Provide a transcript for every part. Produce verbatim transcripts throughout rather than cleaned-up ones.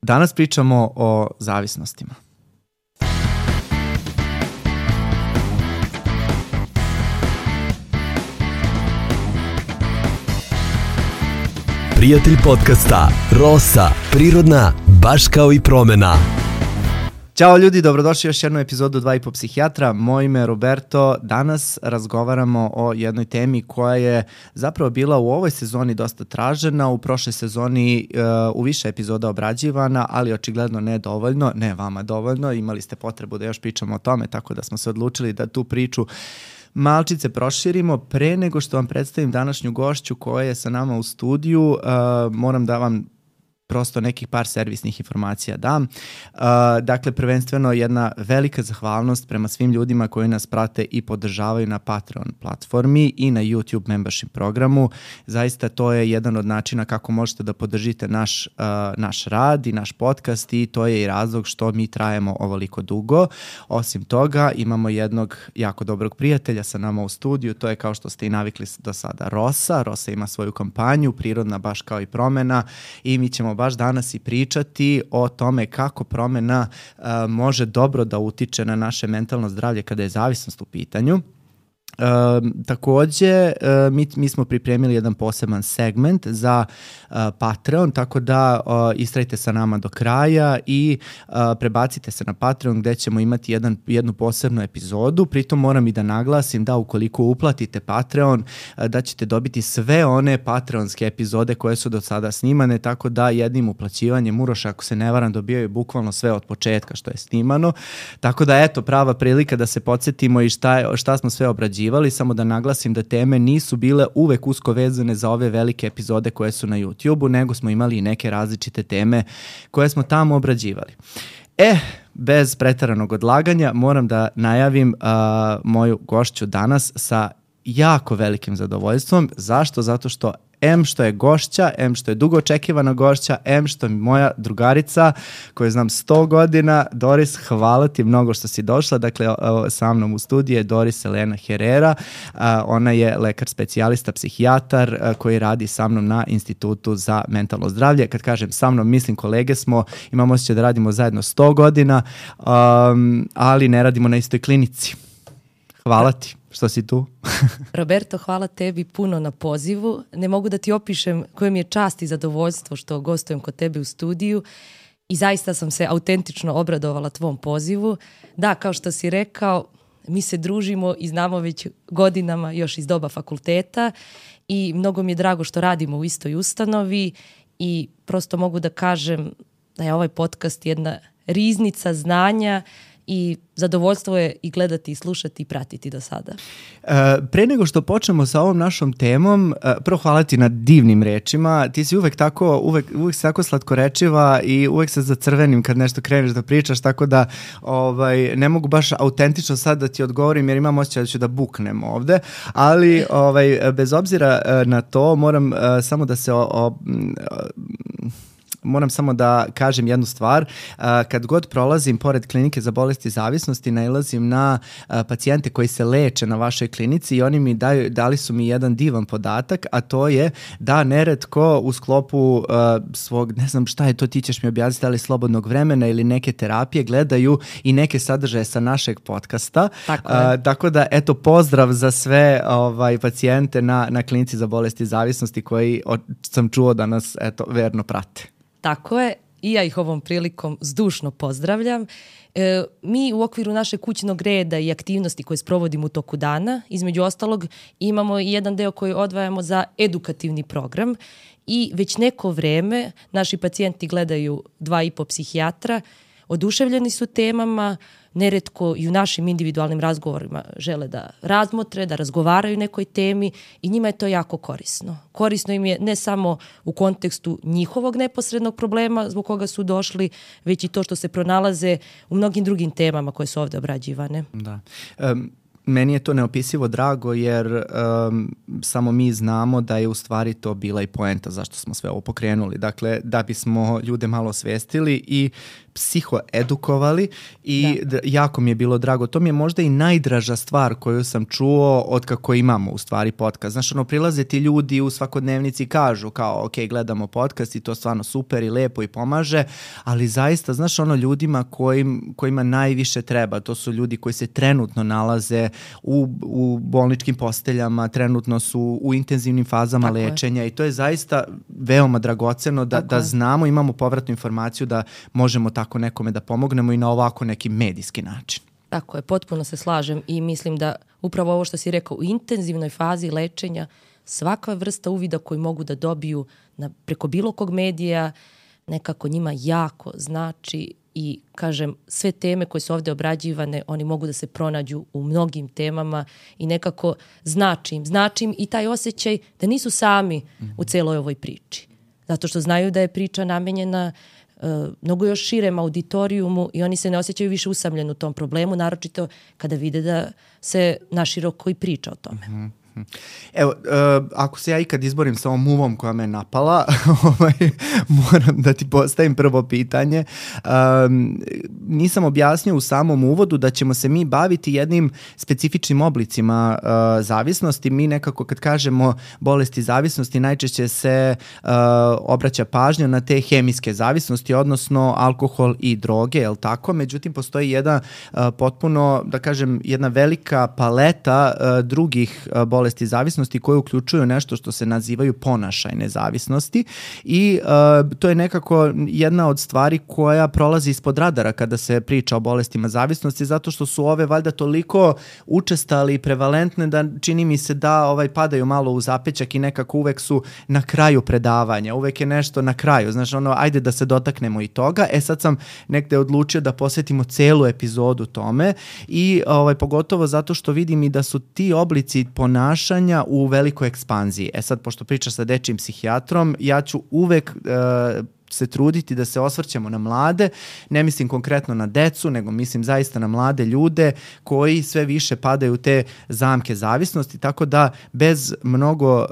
Danas pričamo o zavisnostima. Prijatelj podcasta Rosa, prirodna, baš kao i promena. Ćao ljudi, dobrodošli u još jednu epizodu Dva i po psihijatra. Moje ime je Roberto. Danas razgovaramo o jednoj temi koja je zapravo bila u ovoj sezoni dosta tražena, u prošloj sezoni uh, u više epizoda obrađivana, ali očigledno ne dovoljno, ne vama dovoljno. Imali ste potrebu da još pričamo o tome, tako da smo se odlučili da tu priču malčice proširimo. Pre nego što vam predstavim današnju gošću koja je sa nama u studiju, uh, moram da vam prosto nekih par servisnih informacija dam. Uh, dakle, prvenstveno jedna velika zahvalnost prema svim ljudima koji nas prate i podržavaju na Patreon platformi i na YouTube membership programu. Zaista to je jedan od načina kako možete da podržite naš, uh, naš rad i naš podcast i to je i razlog što mi trajemo ovoliko dugo. Osim toga, imamo jednog jako dobrog prijatelja sa nama u studiju, to je kao što ste i navikli do sada Rosa. Rosa ima svoju kampanju, prirodna baš kao i promena, i mi ćemo baš danas i pričati o tome kako promena uh, može dobro da utiče na naše mentalno zdravlje kada je zavisnost u pitanju. Uh, takođe, uh, mi, mi smo pripremili jedan poseban segment za uh, Patreon, tako da uh, istrajte sa nama do kraja i uh, prebacite se na Patreon gde ćemo imati jedan, jednu posebnu epizodu. Pritom moram i da naglasim da ukoliko uplatite Patreon, uh, da ćete dobiti sve one patreonske epizode koje su do sada snimane, tako da jednim uplaćivanjem Uroša, ako se ne varam, dobijaju bukvalno sve od početka što je snimano. Tako da eto, prava prilika da se podsjetimo i šta, šta smo sve obrađivali. Samo da naglasim da teme nisu bile uvek usko vezane za ove velike epizode koje su na YouTube-u, nego smo imali i neke različite teme koje smo tamo obrađivali. E, bez preteranog odlaganja moram da najavim uh, moju gošću danas sa jako velikim zadovoljstvom. Zašto? Zato što em što je gošća, em što je dugo očekivana gošća, em što je moja drugarica koju znam sto godina. Doris, hvala ti mnogo što si došla. Dakle, sa mnom u studiju je Doris Elena Herrera. Ona je lekar specijalista, psihijatar koji radi sa mnom na Institutu za mentalno zdravlje. Kad kažem sa mnom, mislim kolege smo, imamo osjećaj da radimo zajedno sto godina, um, ali ne radimo na istoj klinici. Hvala ti što si tu. Roberto, hvala tebi puno na pozivu. Ne mogu da ti opišem koje mi je čast i zadovoljstvo što gostujem kod tebe u studiju i zaista sam se autentično obradovala tvom pozivu. Da, kao što si rekao, mi se družimo i znamo već godinama još iz doba fakulteta i mnogo mi je drago što radimo u istoj ustanovi i prosto mogu da kažem da je ovaj podcast jedna riznica znanja i zadovoljstvo je i gledati i slušati i pratiti do sada. Uh, pre nego što počnemo sa ovom našom temom, uh, prvo hvala ti na divnim rečima. Ti si uvek tako, uvek, uvek si tako slatkorečiva i uvek se zacrvenim kad nešto kreneš da pričaš, tako da ovaj, ne mogu baš autentično sad da ti odgovorim jer imam osjećaj da ću da buknem ovde, ali ovaj, bez obzira na to moram uh, samo da se o, o, moram samo da kažem jednu stvar. Kad god prolazim pored klinike za bolesti zavisnosti, nailazim na pacijente koji se leče na vašoj klinici i oni mi daju, dali su mi jedan divan podatak, a to je da neretko u sklopu uh, svog, ne znam šta je to, ti ćeš mi objasniti, ali slobodnog vremena ili neke terapije gledaju i neke sadržaje sa našeg podcasta. Tako, uh, tako da, eto, pozdrav za sve ovaj, pacijente na, na klinici za bolesti zavisnosti koji o, sam čuo da nas, eto, verno prate. Tako je, i ja ih ovom prilikom zdušno pozdravljam. E, mi u okviru našeg kućnog reda i aktivnosti koje sprovodimo u toku dana, između ostalog, imamo i jedan deo koji odvajamo za edukativni program i već neko vreme naši pacijenti gledaju Dva i po psihijatra, oduševljeni su temama, neretko i u našim individualnim razgovorima žele da razmotre, da razgovaraju o nekoj temi i njima je to jako korisno. Korisno im je ne samo u kontekstu njihovog neposrednog problema zbog koga su došli, već i to što se pronalaze u mnogim drugim temama koje su ovde obrađivane. Da. Um, meni je to neopisivo drago jer um, samo mi znamo da je u stvari to bila i poenta zašto smo sve ovo pokrenuli. Dakle, da bismo ljude malo osvestili i psihoedukovali i da. jako mi je bilo drago. To mi je možda i najdraža stvar koju sam čuo od kako imamo u stvari podcast. Znaš, ono, prilaze ti ljudi u svakodnevnici i kažu kao, ok, gledamo podcast i to stvarno super i lepo i pomaže, ali zaista, znaš, ono, ljudima kojim, kojima najviše treba, to su ljudi koji se trenutno nalaze u, u bolničkim posteljama, trenutno su u intenzivnim fazama Tako lečenja je. I to je zaista veoma dragoceno da, da znamo, imamo povratnu informaciju da možemo tako nekome da pomognemo i na ovako neki medijski način. Tako je, potpuno se slažem i mislim da upravo ovo što si rekao, u intenzivnoj fazi lečenja svaka vrsta uvida koju mogu da dobiju na, preko bilo kog medija nekako njima jako znači i kažem sve teme koje su ovdje obrađivane oni mogu da se pronađu u mnogim temama i nekako znači im, znači im i taj osjećaj da nisu sami u celoj ovoj priči. Zato što znaju da je priča namenjena Uh, mnogo još širem auditorijumu i oni se ne osjećaju više usamljeni u tom problemu, naročito kada vide da se naširoko i priča o tome. Mm-hmm. Evo, uh, ako se ja ikad izborim sa ovom muvom koja me napala, ovaj, moram da ti postavim prvo pitanje. Um, nisam objasnio u samom uvodu da ćemo se mi baviti jednim specifičnim oblicima uh, zavisnosti. Mi nekako kad kažemo bolesti zavisnosti najčešće se uh, obraća pažnja na te hemijske zavisnosti, odnosno alkohol i droge, je li tako? Međutim, postoji jedna uh, potpuno, da kažem, jedna velika paleta uh, drugih uh, bolesti bolesti zavisnosti koje uključuju nešto što se nazivaju ponašajne zavisnosti i uh, to je nekako jedna od stvari koja prolazi ispod radara kada se priča o bolestima zavisnosti zato što su ove valjda toliko učestali i prevalentne da čini mi se da ovaj padaju malo u zapećak i nekako uvek su na kraju predavanja, uvek je nešto na kraju, znaš ono, ajde da se dotaknemo i toga. E sad sam negde odlučio da posvetimo celu epizodu tome i ovaj, pogotovo zato što vidim i da su ti oblici ponašanja u velikoj ekspanziji. E sad, pošto pričaš sa dečijim psihijatrom, ja ću uvek uh, se truditi da se osvrćemo na mlade, ne mislim konkretno na decu, nego mislim zaista na mlade ljude koji sve više padaju u te zamke zavisnosti, tako da bez mnogo, uh,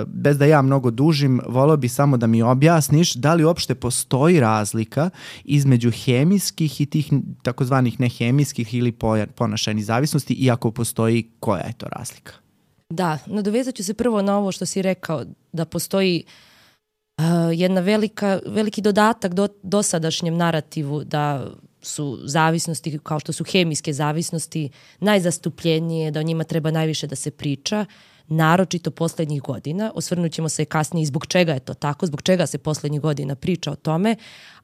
bez da ja mnogo dužim, voleo bi samo da mi objasniš da li uopšte postoji razlika između hemijskih i tih takozvanih nehemijskih ili ponašajnih zavisnosti i ako postoji, koja je to razlika? Da, nadovezat ću se prvo na ovo što si rekao, da postoji uh, jedna velika, veliki dodatak do, dosadašnjem narativu da su zavisnosti, kao što su hemijske zavisnosti, najzastupljenije, da o njima treba najviše da se priča, naročito poslednjih godina. Osvrnut ćemo se kasnije i zbog čega je to tako, zbog čega se poslednjih godina priča o tome,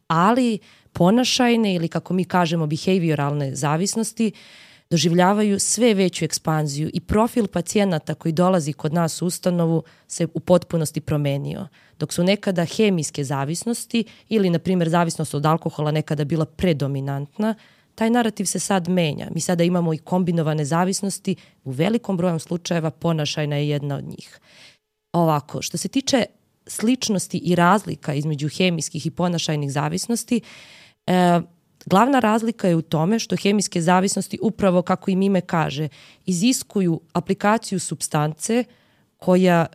ali ponašajne ili kako mi kažemo behavioralne zavisnosti doživljavaju sve veću ekspanziju i profil pacijenata koji dolazi kod nas u ustanovu se u potpunosti promenio. Dok su nekada hemijske zavisnosti ili, na primjer, zavisnost od alkohola nekada bila predominantna, taj narativ se sad menja. Mi sada imamo i kombinovane zavisnosti, u velikom broju slučajeva ponašajna je jedna od njih. Ovako, što se tiče sličnosti i razlika između hemijskih i ponašajnih zavisnosti, e, glavna razlika je u tome što hemijske zavisnosti, upravo kako im ime kaže, iziskuju aplikaciju supstance koja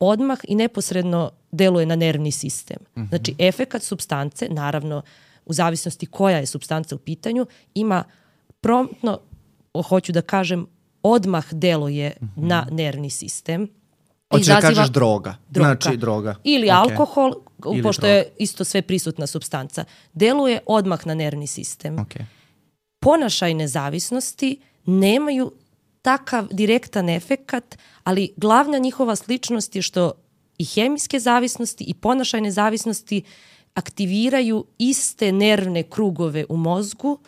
odmah i neposredno deluje na nervni sistem. Mm-hmm. Znači, efekat supstance, naravno, u zavisnosti koja je supstanca u pitanju, ima promptno, hoću da kažem, odmah deluje mm-hmm. na nervni sistem. Hoćeš da kažeš droga. droga. Znači droga. Ili okay. alkohol, Ili pošto droga. je isto sve prisutna supstanca. Deluje odmah na nervni sistem. Okay. Ponašajne zavisnosti nemaju takav direktan efekat, ali glavna njihova sličnost je što i hemijske zavisnosti i ponašajne zavisnosti aktiviraju iste nervne krugove u mozgu,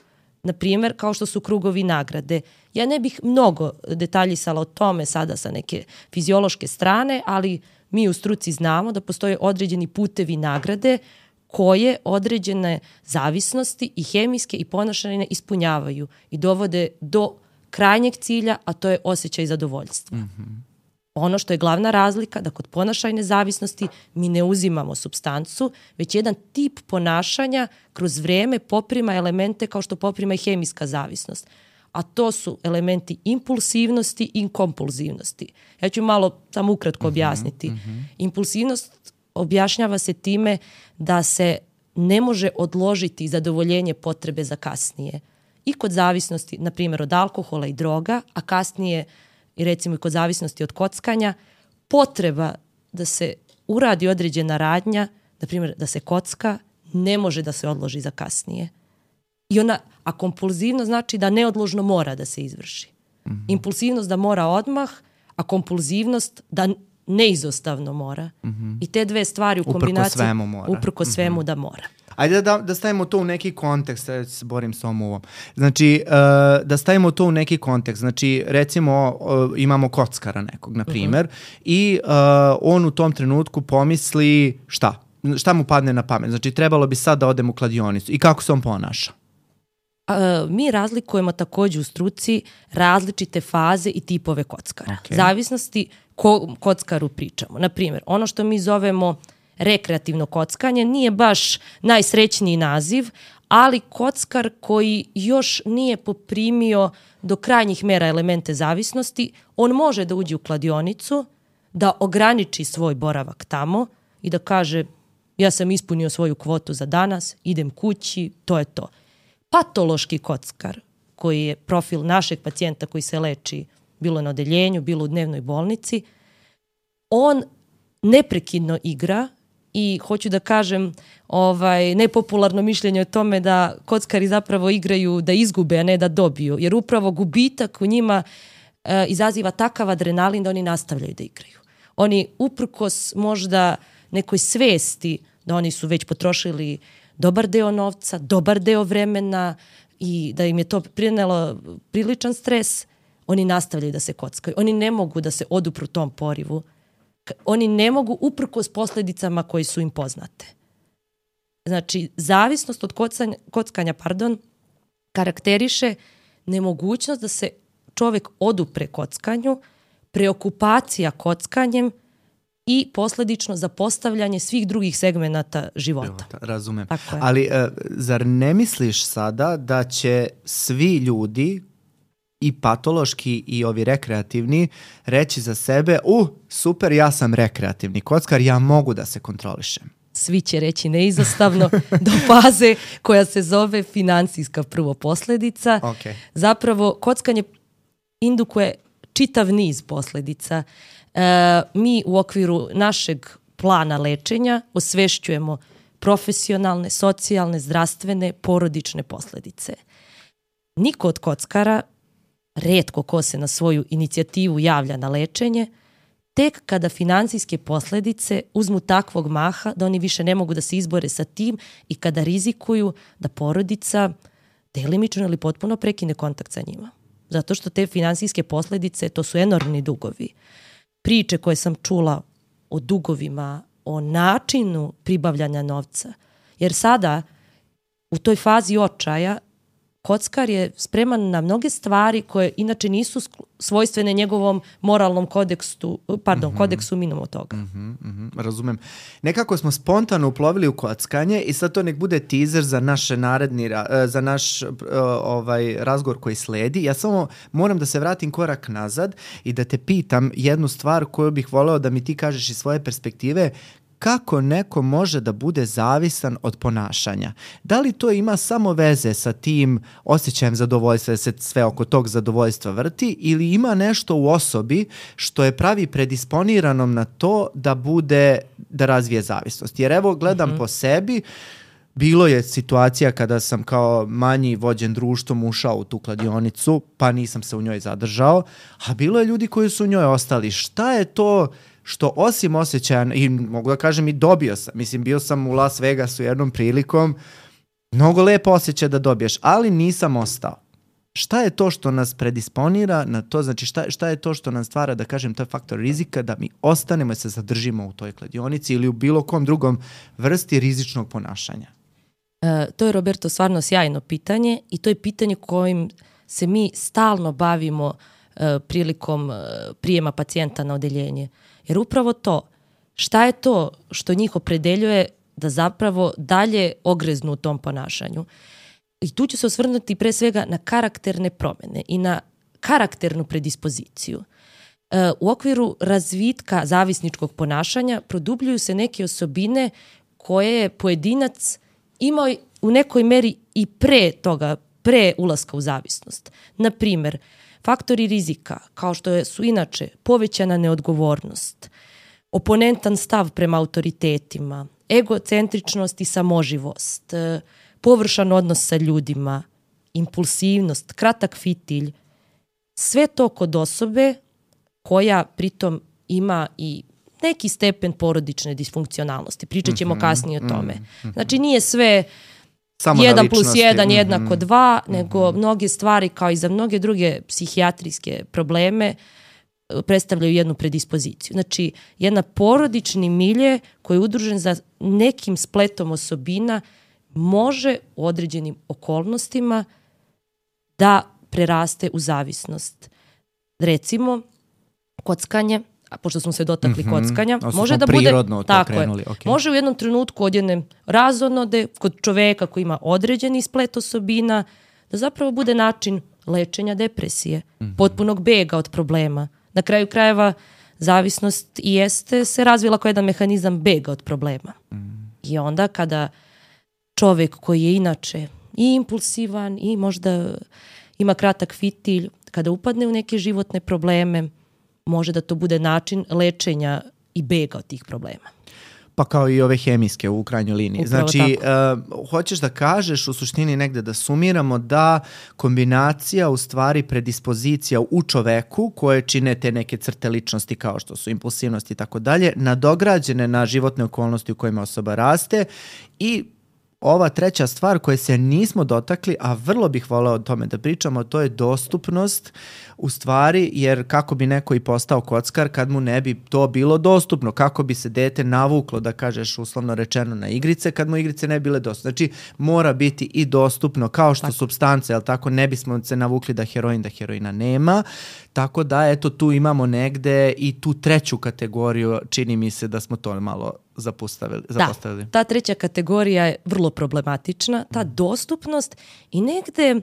na primjer kao što su krugovi nagrade. Ja ne bih mnogo detaljisala o tome sada sa neke fiziološke strane, ali mi u struci znamo da postoje određeni putevi nagrade koje određene zavisnosti i hemijske i ponašajne ispunjavaju i dovode do krajnjeg cilja, a to je osjećaj zadovoljstva. Mm-hmm. Ono što je glavna razlika, da kod ponašajne zavisnosti mi ne uzimamo supstancu, već jedan tip ponašanja kroz vreme poprima elemente kao što poprima i hemijska zavisnost. a to su elementi impulsivnosti i kompulzivnosti. Ja ću malo samo ukratko objasniti. Mm-hmm. Impulsivnost objašnjava se time da se ne može odložiti zadovoljenje potrebe za kasnije. I kod zavisnosti, na primjer, od alkohola i droga, a kasnije i recimo i kod zavisnosti od kockanja, potreba da se uradi određena radnja, na primjer da se kocka, ne može da se odloži za kasnije. I ona, a kompulzivno znači da neodložno mora da se izvrši. Mm-hmm. Impulsivnost da mora odmah, a kompulzivnost da neizostavno mora. Mm-hmm. I te dve stvari u kombinaciji uprko svemu mora. Uprko svemu mm-hmm. da mora. Ajde da, da stavimo to u neki kontekst, ja se borim s ovom uvom. Znači, uh, da stavimo to u neki kontekst. Znači, recimo, uh, imamo kockara nekog, na primjer, uh-huh. i uh, on u tom trenutku pomisli šta? Šta mu padne na pamet? Znači, trebalo bi sad da odem u kladionicu. I kako se on ponaša? Uh, mi razlikujemo također u struci različite faze i tipove kockara. Okay. Zavisnosti ko kockaru pričamo. Na primjer, ono što mi zovemo rekreativno kockanje nije baš najsrećniji naziv, ali kockar koji još nije poprimio do krajnjih mera elemente zavisnosti, on može da uđe u kladionicu, da ograniči svoj boravak tamo i da kaže ja sam ispunio svoju kvotu za danas, idem kući, to je to. Patološki kockar, koji je profil našeg pacijenta koji se leči bilo na odeljenju, bilo u dnevnoj bolnici, on neprekidno igra. I hoću da kažem, ovaj, nepopularno mišljenje o tome da kockari zapravo igraju da izgube, a ne da dobiju. Jer upravo gubitak u njima e, izaziva takav adrenalin da oni nastavljaju da igraju. Oni uprkos možda nekoj svesti da oni su već potrošili dobar deo novca, dobar deo vremena i da im je to prinelo priličan stres, oni nastavljaju da se kockaju. Oni ne mogu da se odupru tom porivu. Oni ne mogu uprkos posljedicama koje su im poznate. Znači, zavisnost od kockanja, kockanja pardon, karakteriše nemogućnost da se čovjek odupre kockanju, preokupacija kockanjem i posljedično zapostavljanje svih drugih segmenata života. Razumem. Ali uh, zar ne misliš sada da će svi ljudi i patološki i ovi rekreativni reći za sebe, uh, super, ja sam rekreativni kockar, ja mogu da se kontrolišem? Svi će reći neizostavno do faze koja se zove financijska prvo posljedica. Okay. Zapravo, kockanje indukuje čitav niz posljedica. E, mi u okviru našeg plana lečenja osvešćujemo profesionalne, socijalne, zdravstvene, porodične posljedice. Niko od kockara, rijetko ko se na svoju inicijativu javlja na lečenje, tek kada financijske posljedice uzmu takvog maha da oni više ne mogu da se izbore sa tim i kada rizikuju da porodica delimično ili potpuno prekine kontakt sa njima. Zato što te financijske posljedice, to su enormni dugovi. Priče koje sam čula o dugovima, o načinu pribavljanja novca. Jer sada, u toj fazi očaja, kockar je spreman na mnoge stvari koje inače nisu svojstvene njegovom moralnom kodeksu, pardon, mm-hmm. kodeksu mimo toga. Mm-hmm, mm-hmm, razumem. Nekako smo spontano uplovili u kockanje i sad to nek bude teaser za naše naredni, za naš ovaj razgovor koji sledi. Ja samo moram da se vratim korak nazad i da te pitam jednu stvar koju bih voleo da mi ti kažeš iz svoje perspektive. Kako neko može da bude zavisan od ponašanja? Da li to ima samo veze sa tim osjećajem zadovoljstva, da se sve oko tog zadovoljstva vrti, ili ima nešto u osobi što je pravi predisponiranom na to da bude, da razvije zavisnost? Jer evo gledam mm-hmm. po sebi, bilo je situacija kada sam kao manji vođen društvom ušao u tu kladionicu, pa nisam se u njoj zadržao, a bilo je ljudi koji su u njoj ostali. Šta je to što osim osjećaja, i mogu da kažem i dobio sam, mislim bio sam u Las Vegasu jednom prilikom, mnogo lepo osjećaj da dobiješ, ali nisam ostao. Šta je to što nas predisponira na to, znači šta, šta je to što nam stvara, da kažem, to je faktor rizika da mi ostanemo i se zadržimo u toj kladionici ili u bilo kom drugom vrsti rizičnog ponašanja? E, to je, Roberto, stvarno sjajno pitanje i to je pitanje kojim se mi stalno bavimo e, prilikom e, prijema pacijenta na odeljenje. Jer upravo to, šta je to što njih opredeljuje da zapravo dalje ogreznu u tom ponašanju? i tu ću se osvrnuti pre svega na karakterne promene i na karakternu predispoziciju. E, u okviru razvitka zavisničkog ponašanja produbljuju se neke osobine koje je pojedinac imao u nekoj meri i pre toga, pre ulaska u zavisnost. Na primer, faktori rizika, kao što su inače povećana neodgovornost, oponentan stav prema autoritetima, egocentričnost i samoživost, površan odnos sa ljudima, impulsivnost, kratak fitilj, sve to kod osobe koja pritom ima i neki stepen porodične disfunkcionalnosti. Pričat ćemo mm-hmm, kasnije o tome. Mm-hmm. Znači nije sve samo jedan plus jedan mm-hmm. jednako dva, nego mm-hmm. mnoge stvari kao i za mnoge druge psihijatrijske probleme predstavljaju jednu predispoziciju. Znači jedna porodični milje koji je udružen za nekim spletom osobina može u određenim okolnostima da preraste u zavisnost. Recimo, kockanje, a pošto smo se dotakli mm-hmm. kockanja, Osto može da bude tako krenuli, je, okay. može u jednom trenutku od jedne razonode kod čoveka koji ima određeni splet osobina da zapravo bude način lečenja depresije, mm-hmm. potpunog bega od problema. Na kraju krajeva zavisnost i jeste se razvila kao jedan mehanizam bega od problema. Mm-hmm. I onda kada čovek koji je inače i impulsivan i možda ima kratak fitilj, kada upadne u neke životne probleme, može da to bude način lečenja i bega od tih problema. Pa kao i ove hemijske u krajnjoj liniji. Upravo znači, uh, hoćeš da kažeš u suštini negde da sumiramo da kombinacija u stvari predispozicija u čoveku koje čine te neke crte ličnosti kao što su impulsivnost i tako dalje, nadograđene na životne okolnosti u kojima osoba raste i ova treća stvar koje se nismo dotakli, a vrlo bih voleo o tome da pričamo, to je dostupnost u stvari, jer kako bi neko i postao kockar kad mu ne bi to bilo dostupno, kako bi se dete navuklo, da kažeš uslovno rečeno, na igrice, kad mu igrice ne bile dostupne. Znači, mora biti i dostupno, kao što supstance, jel tako, ne bismo se navukli da heroin, da heroina nema, tako da, eto, tu imamo negde i tu treću kategoriju, čini mi se da smo to malo zapostavili. zapostavili. Da, ta treća kategorija je vrlo problematična, ta dostupnost i negde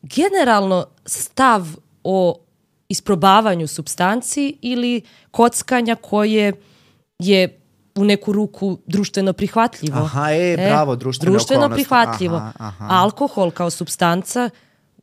generalno stav o isprobavanju supstanci ili kockanja koje je u neku ruku društveno prihvatljivo. Aha, e, bravo, društveno, društveno okolnosti. prihvatljivo. Aha, aha. Alkohol kao supstanca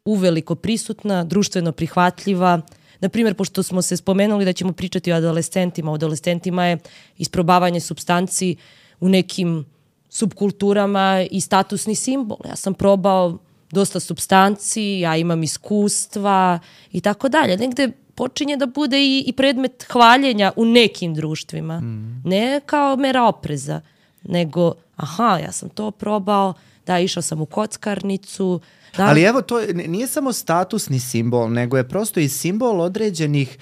uveliko prisutna, društveno prihvatljiva. Naprimjer, pošto smo se spomenuli da ćemo pričati o adolescentima, o adolescentima je isprobavanje supstanci u nekim subkulturama i statusni simbol. Ja sam probao dosta supstanci, ja imam iskustva i tako dalje. Negde počinje da bude i, i predmet hvaljenja u nekim društvima. Mm. Ne kao mera opreza, nego aha, ja sam to probao, da, išao sam u kockarnicu. Da. Ali evo, to nije samo statusni simbol, nego je prosto i simbol određenih,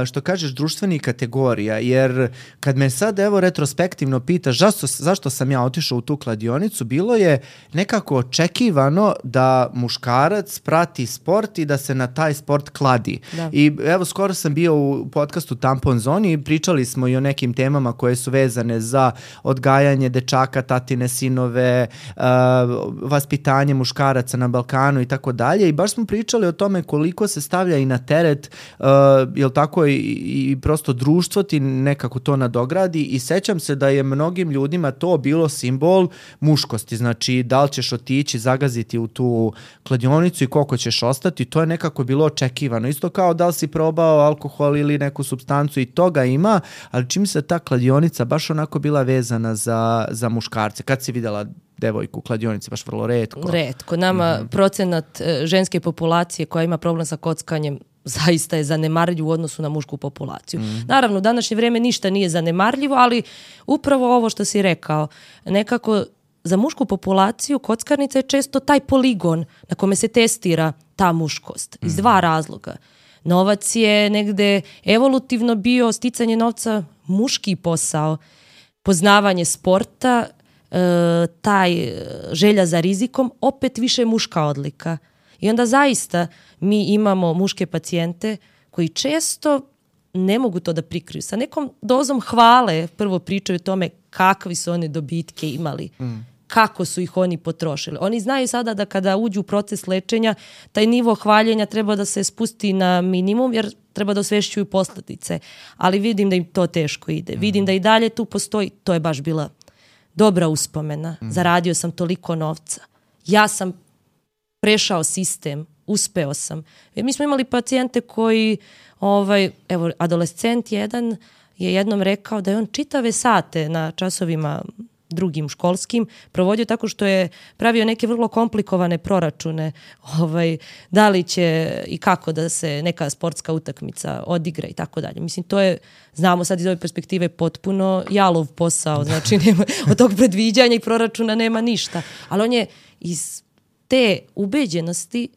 što kažeš, društvenih kategorija, jer kad me sad evo retrospektivno pitaš zašto, zašto sam ja otišao u tu kladionicu, bilo je nekako očekivano da muškarac prati sport i da se na taj sport kladi. Da. I evo, skoro sam bio u podcastu Tampon Zoni i pričali smo i o nekim temama koje su vezane za odgajanje dečaka, tatine, sinove, uh, vaspitanje muškaraca na Balkanu i tako dalje i baš smo pričali o tome koliko se stavlja i na teret, uh, jel tako, i, i prosto društvo ti nekako to nadogradi i sećam se da je mnogim ljudima to bilo simbol muškosti, znači da li ćeš otići, zagaziti u tu kladionicu i koliko ćeš ostati, to je nekako bilo očekivano. Isto kao da li si probao alkohol ili neku supstancu i toga ima, ali čim se ta kladionica baš onako bila vezana za, za muškarce. Kad si videla devojku u kladionici, baš vrlo retko. Retko. Nama mm-hmm. procenat e, ženske populacije koja ima problem sa kockanjem zaista je zanemarljiv u odnosu na mušku populaciju. Mm-hmm. Naravno, u današnje vrijeme ništa nije zanemarljivo, ali upravo ovo što si rekao, nekako za mušku populaciju kockarnica je često taj poligon na kome se testira ta muškost. Iz dva razloga. Novac je negde evolutivno bio sticanje novca muški posao, poznavanje sporta, e, taj želja za rizikom, opet više muška odlika. I onda zaista mi imamo muške pacijente koji često ne mogu to da prikriju. Sa nekom dozom hvale prvo pričaju o tome kakvi su one dobitke imali. Mm. kako su ih oni potrošili. Oni znaju sada da kada uđu u proces lečenja, taj nivo hvaljenja treba da se spusti na minimum, jer treba da osvešćuju posljedice. Ali vidim da im to teško ide. Mm. Vidim da i dalje tu postoji, to je baš bila dobra uspomena. Mm. Zaradio sam toliko novca. Ja sam prešao sistem, uspeo sam. Jer mi smo imali pacijente koji, ovaj, evo, adolescent jedan je jednom rekao da je on čitave sate na časovima drugim školskim provodio tako što je pravio neke vrlo komplikovane proračune, ovaj, da li će i kako da se neka sportska utakmica odigra i tako dalje. Mislim, to je, znamo sad iz ove perspektive, potpuno jalov posao, znači nema, od tog predviđanja i proračuna nema ništa. Ali on je iz te ubeđenosti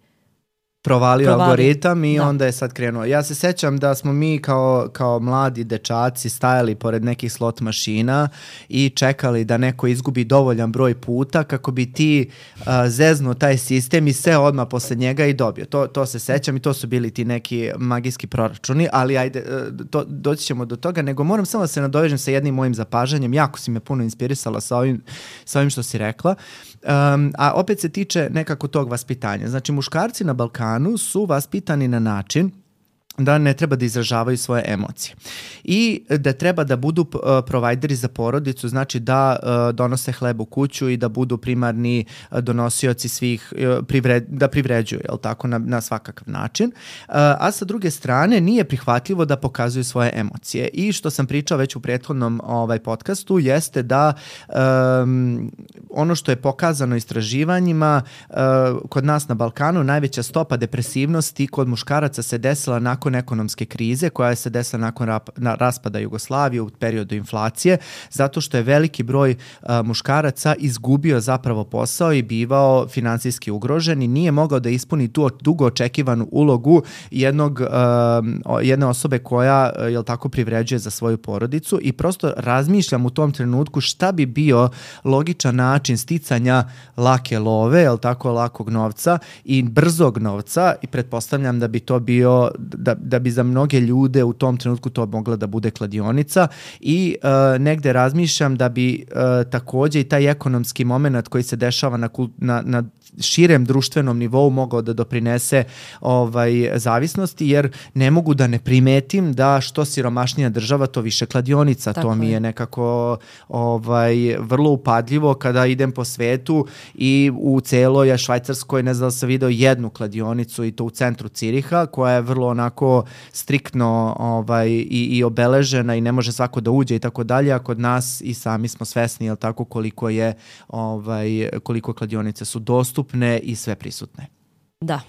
provalio Provalio. algoritam i Da. onda je sad krenuo. Ja se sećam da smo mi kao, kao mladi dečaci stajali pored nekih slot mašina i čekali da neko izgubi dovoljan broj puta kako bi ti uh, zeznuo taj sistem i sve odmah posle njega i dobio. To, to se sećam i to su bili ti neki magijski proračuni, ali ajde, uh, to, doći ćemo do toga, nego moram samo da se nadovežem sa jednim mojim zapažanjem. Jako si me puno inspirisala sa ovim, sa ovim što si rekla. Um, a opet se tiče nekako tog vaspitanja. Znači, muškarci na Balkanu su vaspitani na način da ne treba da izražavaju svoje emocije i da treba da budu uh, provajderi za porodicu, znači da uh, donose hleb u kuću i da budu primarni uh, donosioci svih, uh, privred, da privređuju, jel tako, na, na svakakav način. Uh, a sa druge strane nije prihvatljivo da pokazuju svoje emocije i što sam pričao već u prethodnom ovaj, podcastu jeste da um, ono što je pokazano istraživanjima uh, kod nas na Balkanu, najveća stopa depresivnosti kod muškaraca se desila nakon ekonomske krize koja se desila nakon rap, na, raspada Jugoslavije u periodu inflacije, zato što je veliki broj a, muškaraca izgubio zapravo posao i bivao finansijski ugrožen i nije mogao da ispuni tu dugo očekivanu ulogu jednog, a, jedne osobe koja a, jel tako, privređuje za svoju porodicu i prosto razmišljam u tom trenutku šta bi bio logičan način sticanja lake love, jel tako, lakog novca i brzog novca i pretpostavljam da bi to bio da, da bi za mnoge ljude u tom trenutku to mogla da bude kladionica i uh, negde razmišljam da bi uh, takođe i taj ekonomski moment koji se dešava na, na, na širem društvenom nivou mogao da doprinese ovaj, zavisnosti, jer ne mogu da ne primetim da što siromašnija država, to više kladionica. Tako to mi je, je nekako ovaj, vrlo upadljivo kada idem po svetu i u celoj Švajcarskoj, ne znam da sam video jednu kladionicu i to u centru Ciriha, koja je vrlo onako striktno ovaj, i, i obeležena i ne može svako da uđe i tako dalje, a kod nas i sami smo svesni, jel tako, koliko je ovaj, koliko kladionice su dostupne i sve prisutne. Da.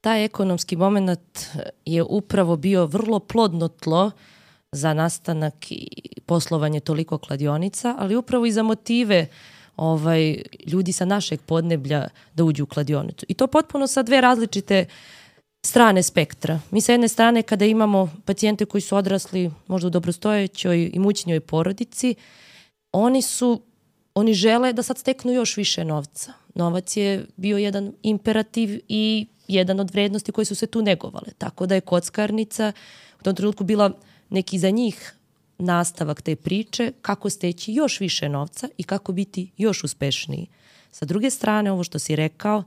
Taj ekonomski moment je upravo bio vrlo plodno tlo za nastanak i poslovanje toliko kladionica, ali upravo i za motive ovaj, ljudi sa našeg podneblja da uđu u kladionicu. I to potpuno sa dve različite strane spektra. Mi sa jedne strane kada imamo pacijente koji su odrasli možda u dobrostojećoj imućnjoj porodici, oni su oni žele da sad steknu još više novca. Novac je bio jedan imperativ i jedan od vrednosti koje su se tu negovale. Tako da je kockarnica u tom trenutku bila neki za njih nastavak te priče kako steći još više novca i kako biti još uspešniji. Sa druge strane, ovo što si rekao,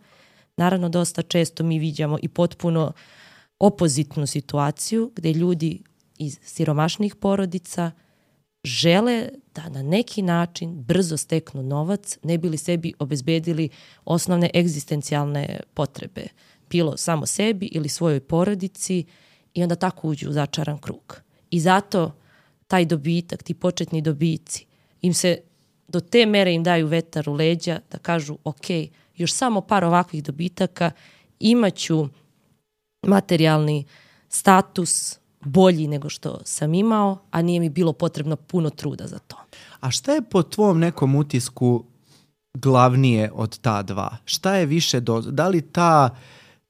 naravno dosta često mi viđamo i potpuno opozitnu situaciju gde ljudi iz siromašnih porodica žele da na neki način brzo steknu novac, ne bi li sebi obezbedili osnovne egzistencijalne potrebe, bilo samo sebi ili svojoj porodici, i onda tako uđu u začaran krug. I zato taj dobitak, ti početni dobici, im se do te mere im daju vetar u leđa da kažu ok, još samo par ovakvih dobitaka, imaću materijalni status bolji nego što sam imao, a nije mi bilo potrebno puno truda za to. A šta je po tvom nekom utisku glavnije od ta dva? Šta je više, do, da li ta,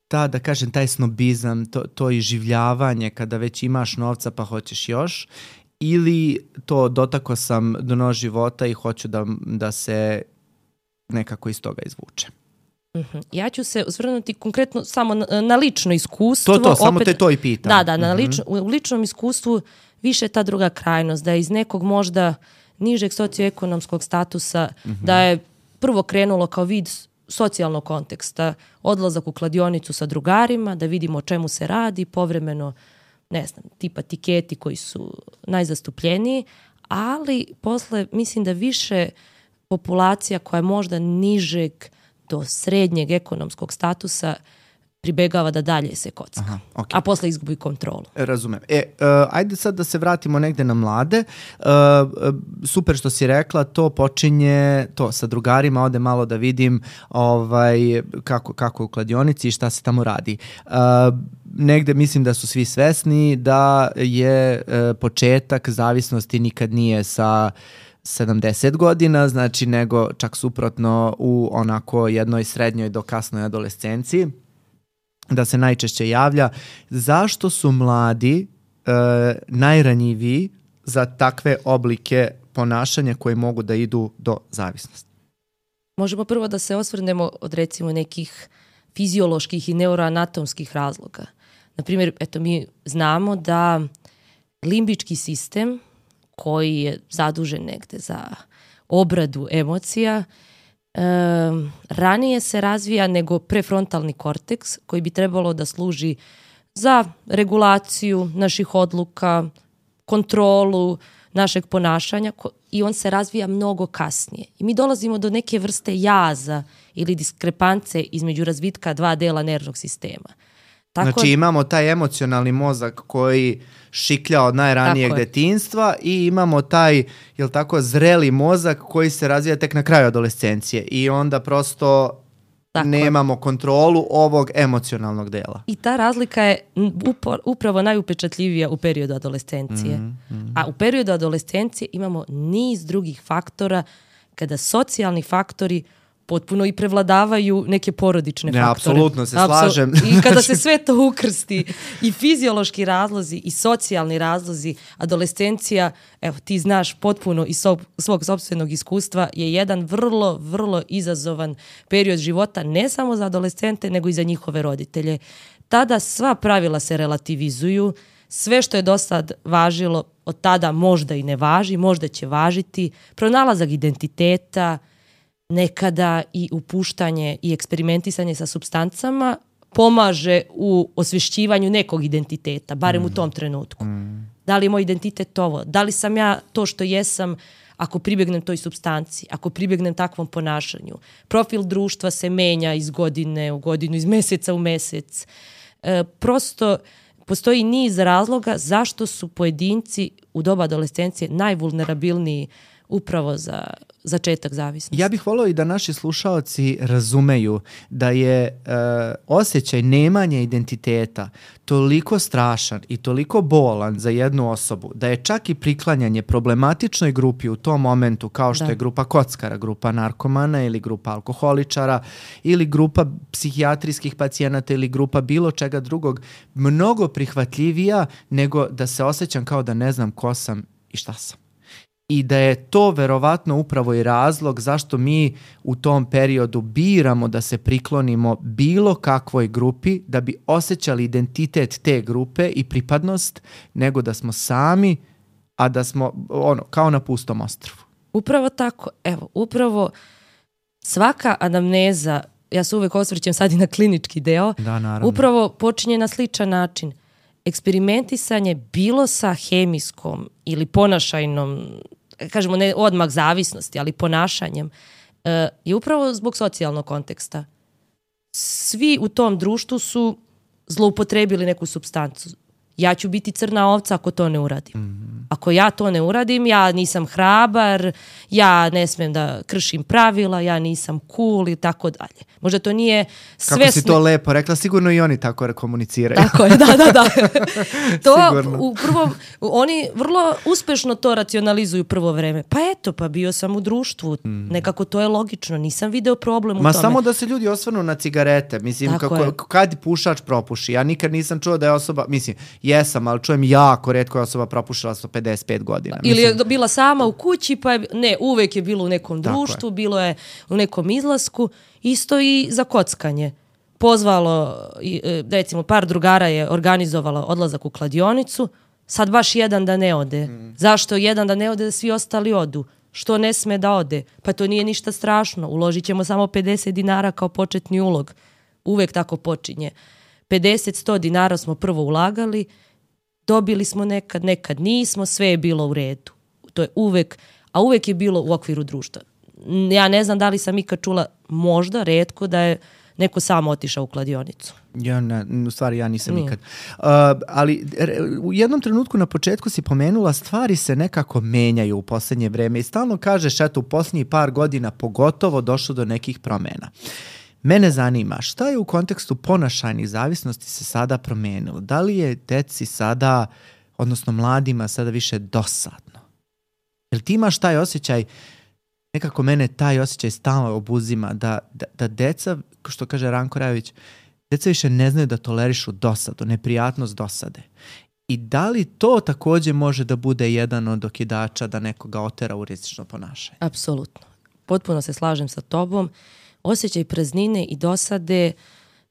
ta, da kažem, taj snobizam, to, to iživljavanje kada već imaš novca pa hoćeš još, ili to dotako sam dno života i hoću da, da se nekako iz toga izvuče? Uh-huh. Ja ću se osvrnuti konkretno samo na, na lično iskustvo. To, to, samo opet, te to i pitam. Da, da, na uh-huh. lično, u ličnom iskustvu više ta druga krajnost, da je iz nekog možda nižeg socioekonomskog statusa, uh-huh. da je prvo krenulo kao vid socijalnog konteksta, odlazak u kladionicu sa drugarima, da vidimo o čemu se radi, povremeno, ne znam, tipa tiketi koji su najzastupljeniji, ali posle mislim da više populacija koja je možda nižeg do srednjeg ekonomskog statusa pribegava da dalje se kocka, Aha, okay. a posle izgubi kontrolu. Razumem. E, uh, ajde sad da se vratimo negde na mlade. Uh, super što si rekla, to počinje to sa drugarima, ode malo da vidim ovaj, kako, kako je u kladionici i šta se tamo radi. Uh, negde mislim da su svi svesni da je uh, početak zavisnosti nikad nije sa sedamdeset godina, znači nego čak suprotno u onako jednoj srednjoj do kasnoj adolescenciji, da se najčešće javlja. Zašto su mladi e, najranjiviji za takve oblike ponašanja koje mogu da idu do zavisnosti? Možemo prvo da se osvrnemo od recimo nekih fizioloških i neuroanatomskih razloga. Naprimjer, eto, mi znamo da limbički sistem koji je zadužen negde za obradu emocija, E, ranije se razvija nego prefrontalni korteks koji bi trebalo da služi za regulaciju naših odluka, kontrolu našeg ponašanja i on se razvija mnogo kasnije. I mi dolazimo do neke vrste jaza ili diskrepance između razvitka dva dela nervnog sistema. Tako, znači imamo taj emocionalni mozak koji šiklja od najranijeg detinjstva i imamo taj, jel tako, zreli mozak koji se razvija tek na kraju adolescencije i onda prosto tako nemamo kontrolu ovog emocionalnog dela. I ta razlika je upravo najupečatljivija u periodu adolescencije. Mm, mm. A u periodu adolescencije imamo niz drugih faktora kada socijalni faktori potpuno i prevladavaju neke porodične ne, faktore. Apsolutno se slažem. I kada se sve to ukrsti, i fiziološki razlozi, i socijalni razlozi, adolescencija, evo ti znaš potpuno iz svog sopstvenog iskustva, je jedan vrlo, vrlo izazovan period života, ne samo za adolescente, nego i za njihove roditelje. Tada sva pravila se relativizuju, sve što je do sad važilo od tada možda i ne važi, možda će važiti, pronalazak identiteta, nekada i upuštanje i eksperimentisanje sa supstancama pomaže u osvješćivanju nekog identiteta, barem mm. u tom trenutku. Mm. Da li je moj identitet ovo? Da li sam ja to što jesam ako pribjegnem toj supstanciji, ako pribjegnem takvom ponašanju? Profil društva se menja iz godine u godinu, iz meseca u mesec. E, prosto postoji niz razloga zašto su pojedinci u doba adolescencije najvulnerabilniji upravo za začetak zavisnosti. Ja bih volio i da naši slušaoci razumeju da je e, osjećaj nemanja identiteta toliko strašan i toliko bolan za jednu osobu da je čak i priklanjanje problematičnoj grupi u tom momentu, kao što da. je grupa kockara, grupa narkomana ili grupa alkoholičara ili grupa psihijatrijskih pacijenata ili grupa bilo čega drugog, mnogo prihvatljivija nego da se osjećam kao da ne znam ko sam i šta sam. I da je to verovatno upravo i razlog zašto mi u tom periodu biramo da se priklonimo bilo kakvoj grupi da bi osjećali identitet te grupe i pripadnost, nego da smo sami, a da smo ono, kao na pustom ostrvu. Upravo tako. Evo, upravo svaka anamneza, ja se uvek osvrćem sad i na klinički deo, da, naravno. Upravo počinje na sličan način. Eksperimentisanje bilo sa hemijskom ili ponašajnom, kažemo ne odmah zavisnosti, ali ponašanjem, je upravo zbog socijalnog konteksta. Svi u tom društvu su zloupotrebili neku supstancu. Ja ću biti crna ovca ako to ne uradim. Mm-hmm. Ako ja to ne uradim, ja nisam hrabar, ja ne smem da kršim pravila, ja nisam cool i tako dalje. Možda to nije svesno. Kako si to lepo rekla, sigurno i oni tako komuniciraju. Tako je, da, da, da. To u prvom, oni vrlo uspešno to racionalizuju prvo vreme. Pa eto, pa bio sam u društvu, mm. nekako to je logično, nisam video problem u Ma tome. Ma samo da se ljudi osvrnu na cigarete, mislim, kako, kad pušač propuši, ja nikad nisam čuo da je osoba, mislim, jesam, ali čujem jako retko je osoba propušila sto pedeset pet godina. Ili je bila sama u kući, pa je, ne, uvek je bilo u nekom društvu, je. bilo je u nekom izlasku, isto i za kockanje. Pozvalo, recimo, par drugara je organizovalo odlazak u kladionicu, sad baš jedan da ne ode. Mm. Zašto jedan da ne ode, da svi ostali odu? što ne sme da ode? Pa to nije ništa strašno, uložit ćemo samo pedeset dinara kao početni ulog. Uvek tako počinje. pedeset do sto dinara smo prvo ulagali, dobili smo nekad, nekad nismo, sve je bilo u redu. To je uvek, a uvek je bilo u okviru društva. Ja ne znam da li sam ikad čula, možda, retko, da je neko samo otišao u kladionicu. Ja ne, u stvari ja nisam Nije. nikad. Uh, ali u jednom trenutku na početku si pomenula, stvari se nekako menjaju u posljednje vreme i stalno kažeš, eto, u posljednjih par godina pogotovo došlo do nekih promena. Mene zanima, šta je u kontekstu ponašajnih zavisnosti se sada promenilo? Da li je deci sada, odnosno mladima, sada više dosadno? Jel ti imaš taj osjećaj, nekako mene taj osjećaj stalno obuzima, da, da, da deca, što kaže Ranko Rajović, deca više ne znaju da tolerišu dosadu, neprijatnost dosade. I da li to također može da bude jedan od okidača da nekoga otera u rizično ponašanje? Apsolutno. Potpuno se slažem sa tobom. Osjećaj praznine i dosade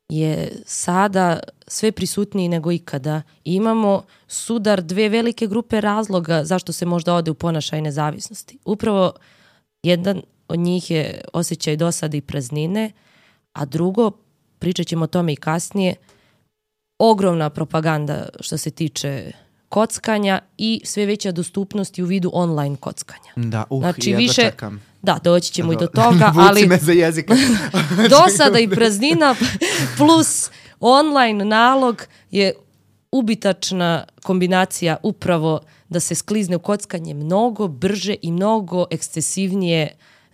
je sada sve prisutniji nego ikada. I imamo sudar dve velike grupe razloga zašto se možda ode u ponašajne zavisnosti. Upravo jedan od njih je osjećaj dosade i praznine, a drugo, pričat ćemo o tome i kasnije, ogromna propaganda što se tiče kockanja i sve veća dostupnost u vidu online kockanja. Da, uh, znači, ja više, čekam. Da, doći ćemo i do toga, ali me za jezika. dosada i praznina plus online nalog je ubitačna kombinacija upravo da se sklizne u kockanje mnogo brže i mnogo ekscesivnije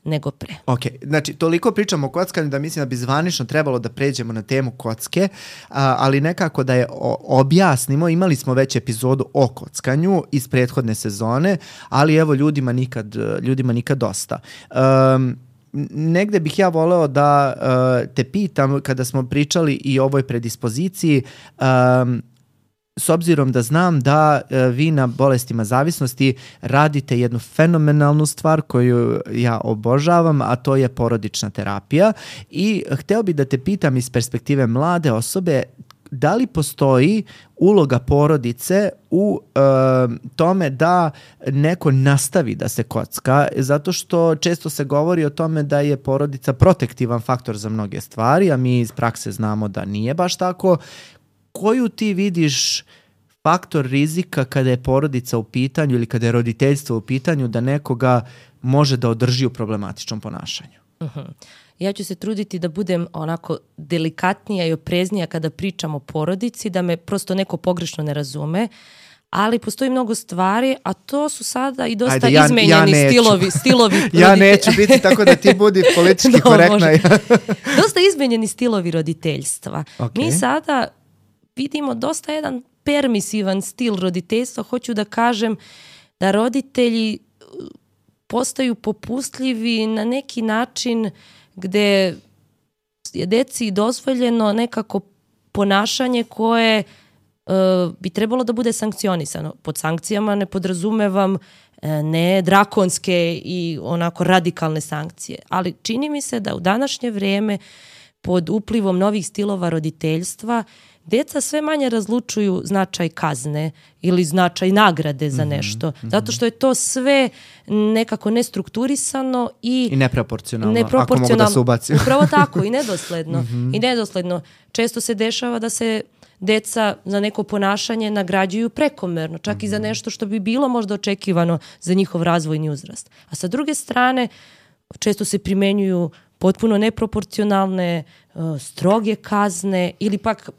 nego pre. Ok, znači toliko pričamo o kockanju da mislim da bi zvanično trebalo da pređemo na temu kocke, a, ali nekako da je o, objasnimo, imali smo već epizodu o kockanju iz prethodne sezone, ali evo ljudima nikad, ljudima nikad dosta. Um, negde bih ja voleo da uh, te pitam, kada smo pričali i o ovoj predispoziciji, um, s obzirom da znam da e, vi na bolestima zavisnosti radite jednu fenomenalnu stvar koju ja obožavam, a to je porodična terapija. I hteo bih da te pitam iz perspektive mlade osobe, da li postoji uloga porodice u e, tome da neko nastavi da se kocka, zato što često se govori o tome da je porodica protektivan faktor za mnoge stvari, a mi iz prakse znamo da nije baš tako. Koju ti vidiš faktor rizika kada je porodica u pitanju ili kada je roditeljstvo u pitanju da nekoga može da održi u problematičnom ponašanju? Uh-huh. Ja ću se truditi da budem onako delikatnija i opreznija kada pričam o porodici, da me prosto neko pogrešno ne razume, ali postoji mnogo stvari, a to su sada i dosta Ajde, ja, izmenjeni ja stilovi. stilovi ja neću biti tako da ti budi politički no, korektna. Dosta izmenjeni stilovi roditeljstva. Okay. Mi sada vidimo dosta jedan permisivan stil roditeljstva. Hoću da kažem da roditelji postaju popustljivi na neki način gde je deci dozvoljeno nekako ponašanje koje uh, bi trebalo da bude sankcionisano. Pod sankcijama ne podrazumevam uh, ne drakonske i onako radikalne sankcije. Ali čini mi se da u današnje vrijeme pod uplivom novih stilova roditeljstva deca sve manje razlučuju značaj kazne ili značaj nagrade za nešto. Mm-hmm. Zato što je to sve nekako nestrukturisano i, I neproporcionalno, neproporcionalno, ako mogu da se ubaci. Upravo tako, i nedosledno. Mm-hmm. I nedosledno. Često se dešava da se deca za neko ponašanje nagrađuju prekomerno, čak mm-hmm. i za nešto što bi bilo možda očekivano za njihov razvojni uzrast. A sa druge strane, često se primenjuju potpuno neproporcionalne, uh, stroge kazne ili pak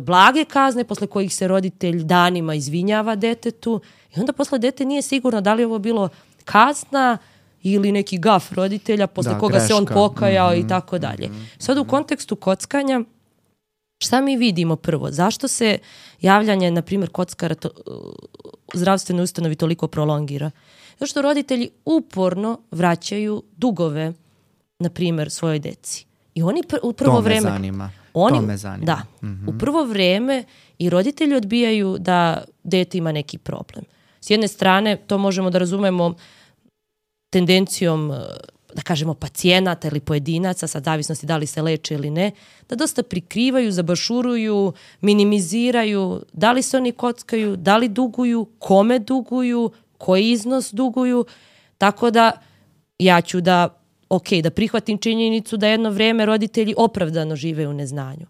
blage kazne posle kojih se roditelj danima izvinjava detetu i onda posle dete nije sigurno da li je ovo bilo kazna ili neki gaf roditelja posle da, koga greška. Se on pokajao mm-hmm. i tako dalje. Sad u kontekstu kockanja šta mi vidimo prvo? Zašto se javljanje, na primjer, kockara to, u zdravstvenoj ustanovi toliko prolongira? Zato što roditelji uporno vraćaju dugove, na primjer, svojoj deci. I oni pr- u prvo to vreme... me zanima. Oni, to me zanima. Da, mm-hmm. u prvo vreme i roditelji odbijaju da dete ima neki problem. S jedne strane, to možemo da razumemo tendencijom, da kažemo, pacijenata ili pojedinaca, sad zavisnosti da li se leče ili ne, da dosta prikrivaju, zabašuruju, minimiziraju, da li se oni kockaju, da li duguju, kome duguju, koji iznos duguju. Tako da ja ću da, ok, da prihvatim činjenicu da jedno vrijeme roditelji opravdano žive u neznanju.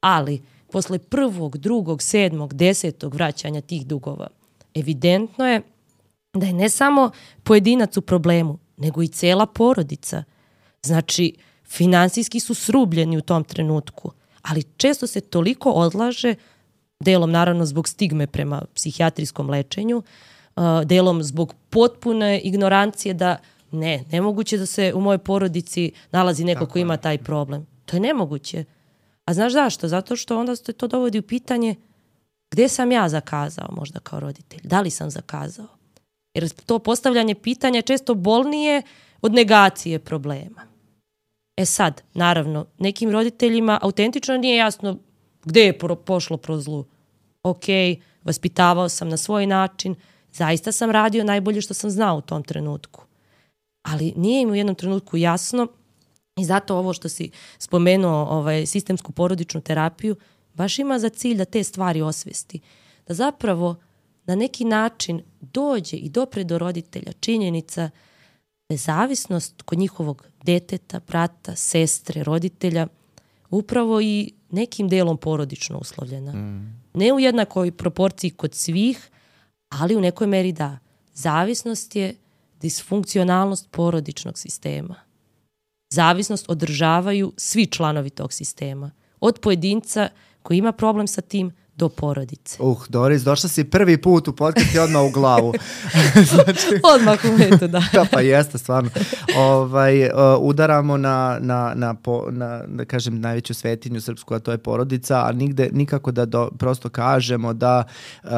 Ali posle prvog, drugog, sedmog, desetog vraćanja tih dugova, evidentno je da je ne samo pojedinac u problemu, nego i cela porodica. Znači, finansijski su srubljeni u tom trenutku, ali često se toliko odlaže, delom naravno zbog stigme prema psihijatrijskom lečenju, delom zbog potpune ignorancije da ne, nemoguće da se u mojoj porodici nalazi neko ko ima taj problem. To je nemoguće. A znaš zašto? Zato što onda se to dovodi u pitanje gde sam ja zakazao možda kao roditelj? Da li sam zakazao? Jer to postavljanje pitanja je često bolnije od negacije problema. E sad, naravno, nekim roditeljima autentično nije jasno gde je pošlo pro zlu. Ok, vaspitavao sam na svoj način, zaista sam radio najbolje što sam znao u tom trenutku. Ali nije im u jednom trenutku jasno i zato ovo što si spomenuo, ovaj, sistemsku porodičnu terapiju, baš ima za cilj da te stvari osvesti. Da zapravo na neki način dođe i dopre do roditelja činjenica da je zavisnost kod njihovog deteta, brata, sestre, roditelja upravo i nekim delom porodično uslovljena. Mm. Ne u jednakoj proporciji kod svih, ali u nekoj meri da. Zavisnost je disfunkcionalnost porodičnog sistema. Zavisnost održavaju svi članovi tog sistema. Od pojedinca koji ima problem sa tim do porodice. Uh, Doris, došla si prvi put u podcast i odmah u glavu. Znači, odmah u metu, da. Da, pa jeste, stvarno. Ovaj, uh, udaramo na, na, na, po, na, da kažem, najveću svetinju srpsku, a to je porodica, a nigde, nikako da do, prosto kažemo da uh,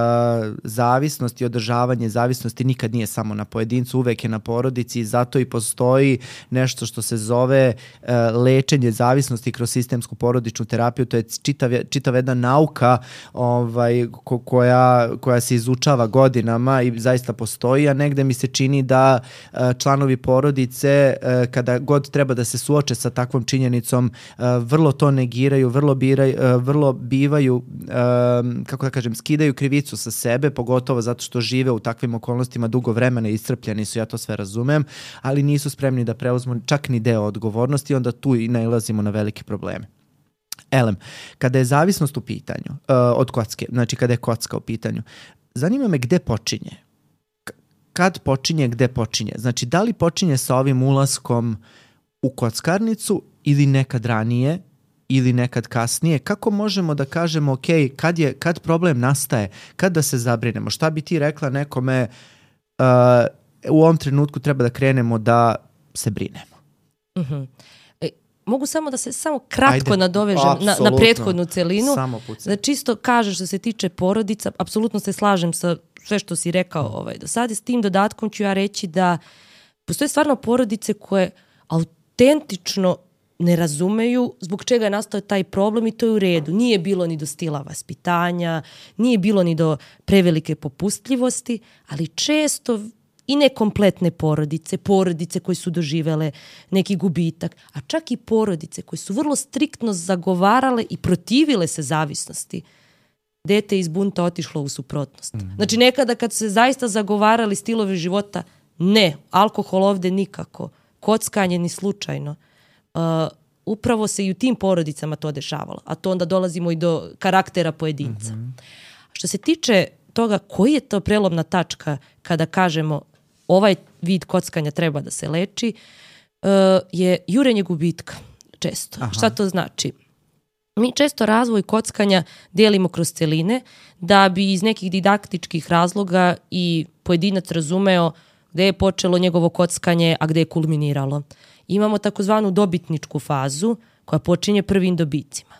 zavisnost i održavanje zavisnosti nikad nije samo na pojedincu, uvek je na porodici i zato i postoji nešto što se zove uh, lečenje zavisnosti kroz sistemsku porodičnu terapiju. To je čitav, čitav jedna nauka ovaj, ko, koja, koja se izučava godinama i zaista postoji, a negde mi se čini da uh, članovi porodice uh, kada god treba da se suoče sa takvom činjenicom uh, vrlo to negiraju, vrlo, biraj, uh, vrlo bivaju, uh, kako da kažem, skidaju krivicu sa sebe, pogotovo zato što žive u takvim okolnostima dugo vremena i iscrpljeni su, ja to sve razumem, ali nisu spremni da preuzmu čak ni deo odgovornosti, onda tu i nailazimo na velike probleme. Elem, kada je zavisnost u pitanju, uh, od kocke, znači kada je kocka u pitanju, zanima me gde počinje. K- kad počinje, gde počinje? Znači, da li počinje sa ovim ulaskom u kockarnicu ili nekad ranije ili nekad kasnije? Kako možemo da kažemo, ok, kad, je, kad problem nastaje, kad da se zabrinemo? Šta bi ti rekla nekome, uh, u ovom trenutku treba da krenemo da se brinemo? Mhm. Uh-huh. Mogu samo da se samo kratko Ajde, nadovežem na, na prethodnu celinu. Da čisto kažeš što se tiče porodica, apsolutno se slažem sa sve što si rekao ovaj, do sada. S tim dodatkom ću ja reći da postoje stvarno porodice koje autentično ne razumeju zbog čega je nastao taj problem i to je u redu. Nije bilo ni do stila vaspitanja, nije bilo ni do prevelike popustljivosti, ali često i nekompletne porodice, porodice koje su doživele neki gubitak, a čak i porodice koje su vrlo striktno zagovarale i protivile se zavisnosti. Dete iz bunta otišlo u suprotnost. Mm-hmm. Znači nekada kad su se zaista zagovarali stilove života, ne, alkohol ovde nikako, kockanje ni slučajno. Uh, upravo se i u tim porodicama to dešavalo, a to onda dolazimo i do karaktera pojedinca. Mm-hmm. Što se tiče toga koji je to prelomna tačka kada kažemo ovaj vid kockanja treba da se leči, uh, je jurenje gubitka često. Aha. Šta to znači? Mi često razvoj kockanja delimo kroz celine da bi iz nekih didaktičkih razloga i pojedinac razumeo gde je počelo njegovo kockanje, a gde je kulminiralo. Imamo takozvanu dobitničku fazu koja počinje prvim dobicima.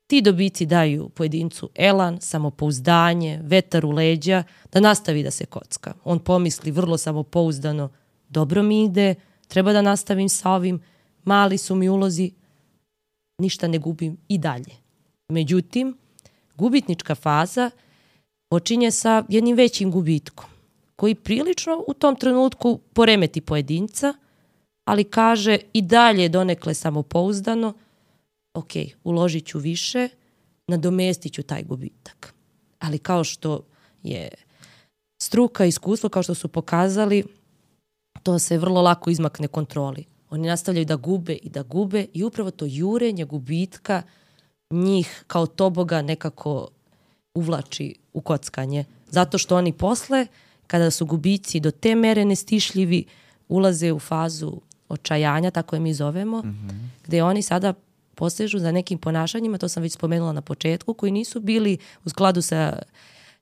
Ti dobici daju pojedincu elan, samopouzdanje, vetar u leđa, da nastavi da se kocka. On pomisli vrlo samopouzdano, dobro mi ide, treba da nastavim sa ovim, mali su mi ulozi, ništa ne gubim i dalje. Međutim, gubitnička faza počinje sa jednim većim gubitkom, koji prilično u tom trenutku poremeti pojedinca, ali kaže i dalje donekle samopouzdano, ok, uložit ću više, nadomestit ću taj gubitak. Ali kao što je struka, iskustvo, kao što su pokazali, to se vrlo lako izmakne kontroli. Oni nastavljaju da gube i da gube i upravo to jurenje gubitka njih kao toboga nekako uvlači u kockanje. Zato što oni posle, kada su gubici do te mere nestišljivi, ulaze u fazu očajanja, tako je mi zovemo, mm-hmm. gde oni sada posežu za nekim ponašanjima, to sam već spomenula na početku, koji nisu bili u skladu sa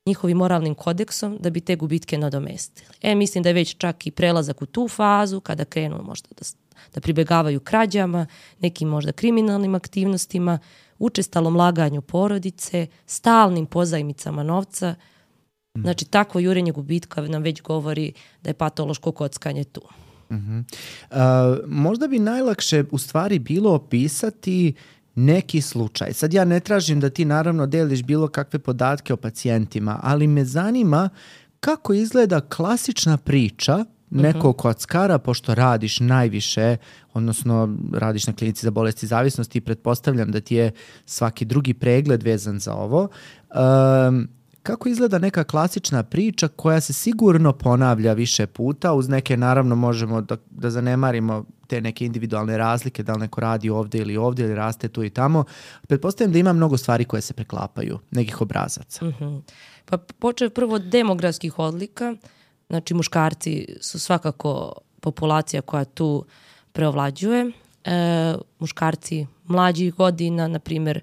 njihovim moralnim kodeksom da bi te gubitke nadomestili. E, mislim da je već čak i prelazak u tu fazu, kada krenu možda da, da pribegavaju krađama, nekim možda kriminalnim aktivnostima, učestalom laganju porodice, stalnim pozajmicama novca. Znači, takvo jurenje gubitka nam već govori da je patološko kockanje tu. Uh-huh. Uh, možda bi najlakše u stvari bilo opisati neki slučaj. Sad ja ne tražim da ti naravno deliš bilo kakve podatke o pacijentima, ali me zanima kako izgleda klasična priča nekog uh-huh. kockara, pošto radiš najviše, odnosno radiš na klinici za bolesti zavisnosti i pretpostavljam da ti je svaki drugi pregled vezan za ovo. Um, Kako izgleda neka klasična priča koja se sigurno ponavlja više puta, uz neke naravno možemo da, da zanemarimo te neke individualne razlike, da li neko radi ovdje ili ovdje ili raste tu i tamo. Pretpostavljam da ima mnogo stvari koje se preklapaju, nekih obrazaca. Uh-huh. Pa počeo prvo od demografskih odlika, znači muškarci su svakako populacija koja tu preovlađuje. E, muškarci mlađih godina, na primjer,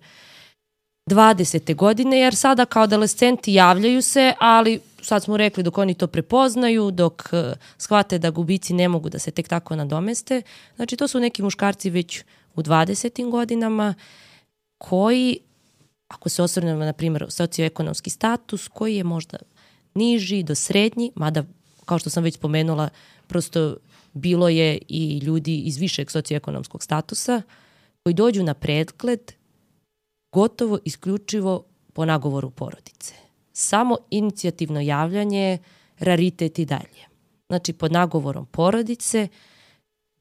dvadesete godine, jer sada kao adolescenti javljaju se, ali sad smo rekli dok oni to prepoznaju, dok uh, shvate da gubici ne mogu da se tek tako nadomeste. Znači to su neki muškarci već u dvadesetim godinama koji, ako se osvrnemo na primjer socioekonomski status, koji je možda niži do srednji, mada kao što sam već spomenula, prosto bilo je i ljudi iz višeg socioekonomskog statusa koji dođu na pregled gotovo isključivo po nagovoru porodice. Samo inicijativno javljanje, raritet i dalje. Znači, pod nagovorom porodice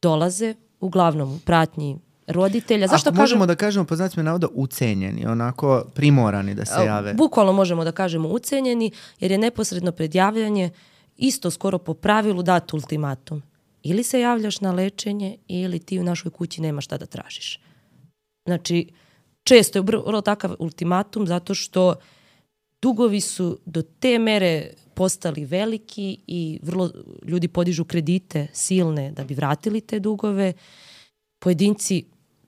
dolaze uglavnom u pratnji roditelja. Zašto Ako možemo kažem, da kažemo, po znacima navoda, ucenjeni, onako primorani da se jave. Bukvalno možemo da kažemo ucenjeni, jer je neposredno predjavljanje isto skoro po pravilu dat ultimatum. Ili se javljaš na lečenje, ili ti u našoj kući nema šta da tražiš. Znači, često je vrlo takav ultimatum zato što dugovi su do te mere postali veliki i vrlo ljudi podižu kredite silne da bi vratili te dugove. Pojedinci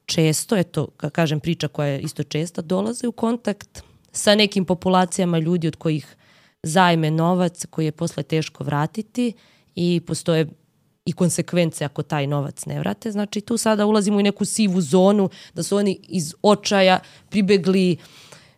često, eto, kako kažem, priča koja je isto česta, dolaze u kontakt sa nekim populacijama ljudi od kojih zajme novac koji je posle teško vratiti i postoje i konsekvence ako taj novac ne vrate. Znači tu sada ulazimo u neku sivu zonu da su oni iz očaja pribegli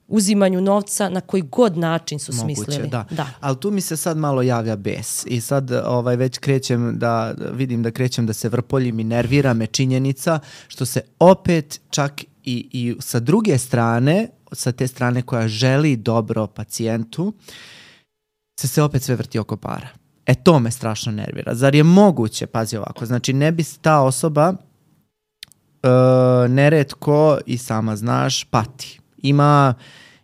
uzimanju novca na koji god način su Moguće, smislili. Da. Da. Ali tu mi se sad malo javlja bes i sad ovaj, već krećem da vidim da krećem da se vrpoljim i nervira me činjenica što se opet čak i, i sa druge strane, sa te strane koja želi dobro pacijentu, se se opet sve vrti oko para. E to me strašno nervira. Zar je moguće, pazi ovako, znači ne bi ta osoba uh, neretko i sama znaš pati. Ima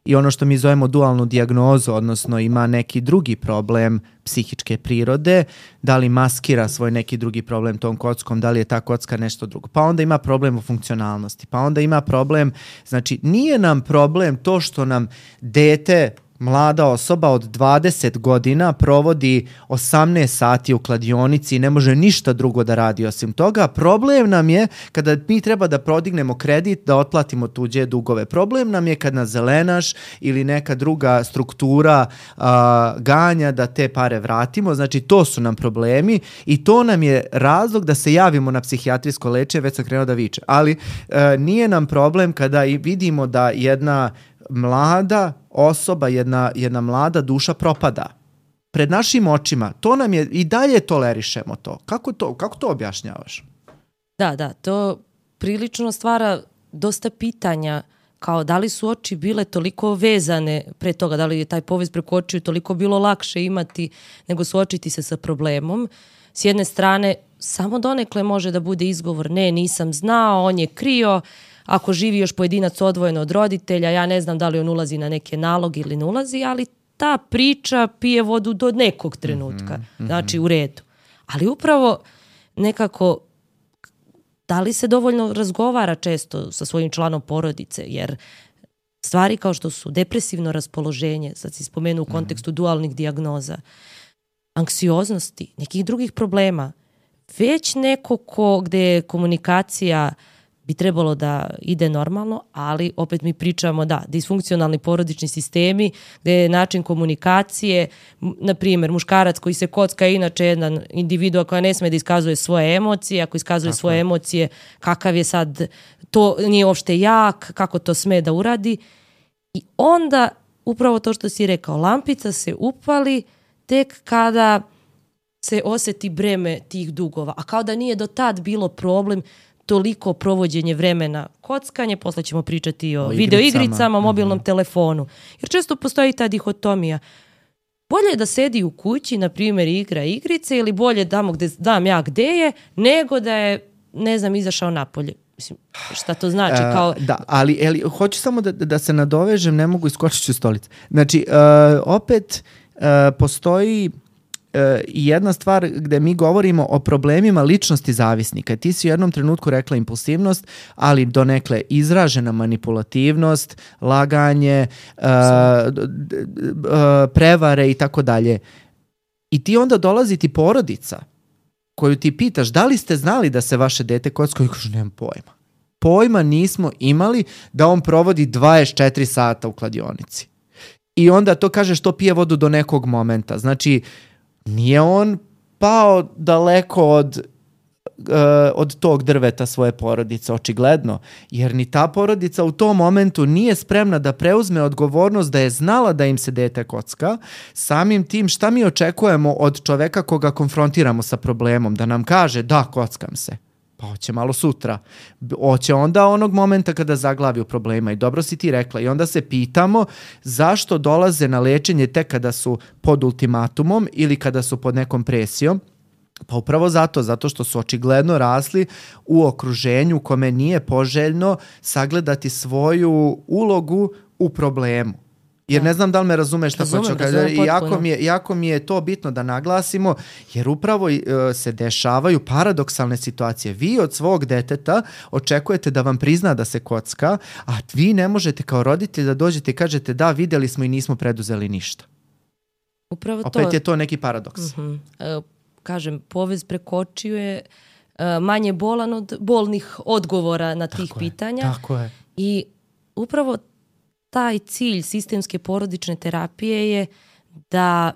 i ono što mi zovemo dualnu dijagnozu, odnosno ima neki drugi problem psihičke prirode, da li maskira svoj neki drugi problem tom kockom, da li je ta kocka nešto drugo. Pa onda ima problem u funkcionalnosti, pa onda ima problem, znači nije nam problem to što nam dete, mlada osoba od dvadeset godina provodi osamnaest sati u kladionici i ne može ništa drugo da radi osim toga. Problem nam je kada mi treba da prodignemo kredit, da otplatimo tuđe dugove. Problem nam je kad nas zelenaš ili neka druga struktura a, ganja da te pare vratimo. Znači to su nam problemi i to nam je razlog da se javimo na psihijatrijsko lečenje, već sam krenuo da viče. Ali a, nije nam problem kada i vidimo da jedna mlada osoba, jedna, jedna mlada duša propada. Pred našim očima. To nam je, i dalje tolerišemo to. Kako to, kako to objašnjavaš? Da, da, to prilično stvara dosta pitanja, kao da li su oči bile toliko vezane pre toga, da li je taj povez preko očiju toliko bilo lakše imati nego suočiti se sa problemom. S jedne strane, samo donekle može da bude izgovor, ne, nisam znao, on je krio. Ako živi još pojedinac odvojeno od roditelja, ja ne znam da li on ulazi na neke naloge ili ne ulazi, ali ta priča pije vodu do nekog trenutka. Mm-hmm. Znači, u redu. Ali upravo nekako da li se dovoljno razgovara često sa svojim članom porodice, jer stvari kao što su depresivno raspoloženje, sad si spomenuo u kontekstu dualnih dijagnoza, anksioznosti, nekih drugih problema, već neko ko, gde je komunikacija bi trebalo da ide normalno, ali opet mi pričamo da, disfunkcionalni porodični sistemi, gde je način komunikacije, na primjer, muškarac koji se kocka je inače jedan individua koja ne sme da iskazuje svoje emocije, ako iskazuje Tako svoje je. emocije, kakav je sad, to nije uopšte jak, kako to sme da uradi. I onda, upravo to što si rekao, lampica se upali tek kada se oseti breme tih dugova, a kao da nije do tad bilo problem toliko provođenje vremena, kockanje, posle ćemo pričati o, o video igricama, mobilnom mm-hmm. telefonu. Jer često postoji ta dihotomija. Bolje je da sedi u kući, na primjer, igra igrice, ili bolje damo gde znam ja gde je, nego da je, ne znam, izašao napolje. Mislim, šta to znači? Kao... Uh, da, ali, ali hoću samo da, da se nadovežem, ne mogu iskočiti u stolicu. Znači, uh, opet uh, postoji i jedna stvar gde mi govorimo o problemima ličnosti zavisnika. Ti si u jednom trenutku rekla impulsivnost, ali donekle izražena manipulativnost, laganje, uh, prevare i tako dalje. I ti onda dolazi ti porodica koju ti pitaš da li ste znali da se vaše dete kocka, i kažu nemam pojma. Pojma nismo imali da on provodi dvadeset četiri sata u kladionici. I onda to kaže što pije vodu do nekog momenta. Znači, nije on pao daleko od, uh, od tog drveta svoje porodice, očigledno, jer ni ta porodica u tom momentu nije spremna da preuzme odgovornost da je znala da im se dete kocka. Samim tim, šta mi očekujemo od čoveka koga konfrontiramo sa problemom? Da nam kaže, da, kockam se. Pa hoće malo sutra. Hoće onda onog momenta kada zaglavi u problema. I dobro si ti rekla. I onda se pitamo zašto dolaze na lečenje tek kada su pod ultimatumom ili kada su pod nekom presijom. Pa upravo zato, zato što su očigledno rasli u okruženju kome nije poželjno sagledati svoju ulogu u problemu. Jer ne znam da li me razumeš šta hoću kada i jako mi je jako mi je to bitno da naglasimo, jer upravo uh, se dešavaju paradoksalne situacije. Vi od svog deteta očekujete da vam prizna da se kocka, a vi ne možete kao roditelj da dođete i kažete da, videli smo i nismo preduzeli ništa. Upravo to. Opet je to neki paradoks. Uh-huh. Uh, kažem, povez prekočio je uh, manje bolan od bolnih odgovora na tih tako pitanja. Je, tako je. I upravo taj cilj sistemske porodične terapije je da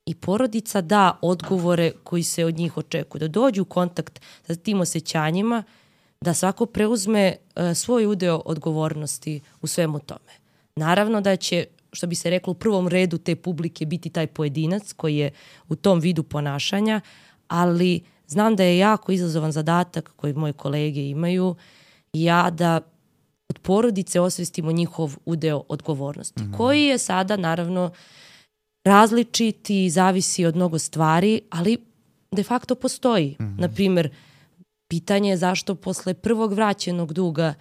i porodica da odgovore koji se od njih očekuju, da dođu u kontakt sa tim osjećanjima, da svako preuzme uh, svoj udeo odgovornosti u svemu tome. Naravno da će, što bi se reklo, u prvom redu te publike biti taj pojedinac koji je u tom vidu ponašanja, ali znam da je jako izazovan zadatak koji moji kolege imaju i ja da od porodice osvestimo njihov udeo odgovornosti, mm-hmm. koji je sada naravno različit i zavisi od mnogo stvari, ali de facto postoji. Mm-hmm. Naprimjer, pitanje je zašto posle prvog vraćenog duga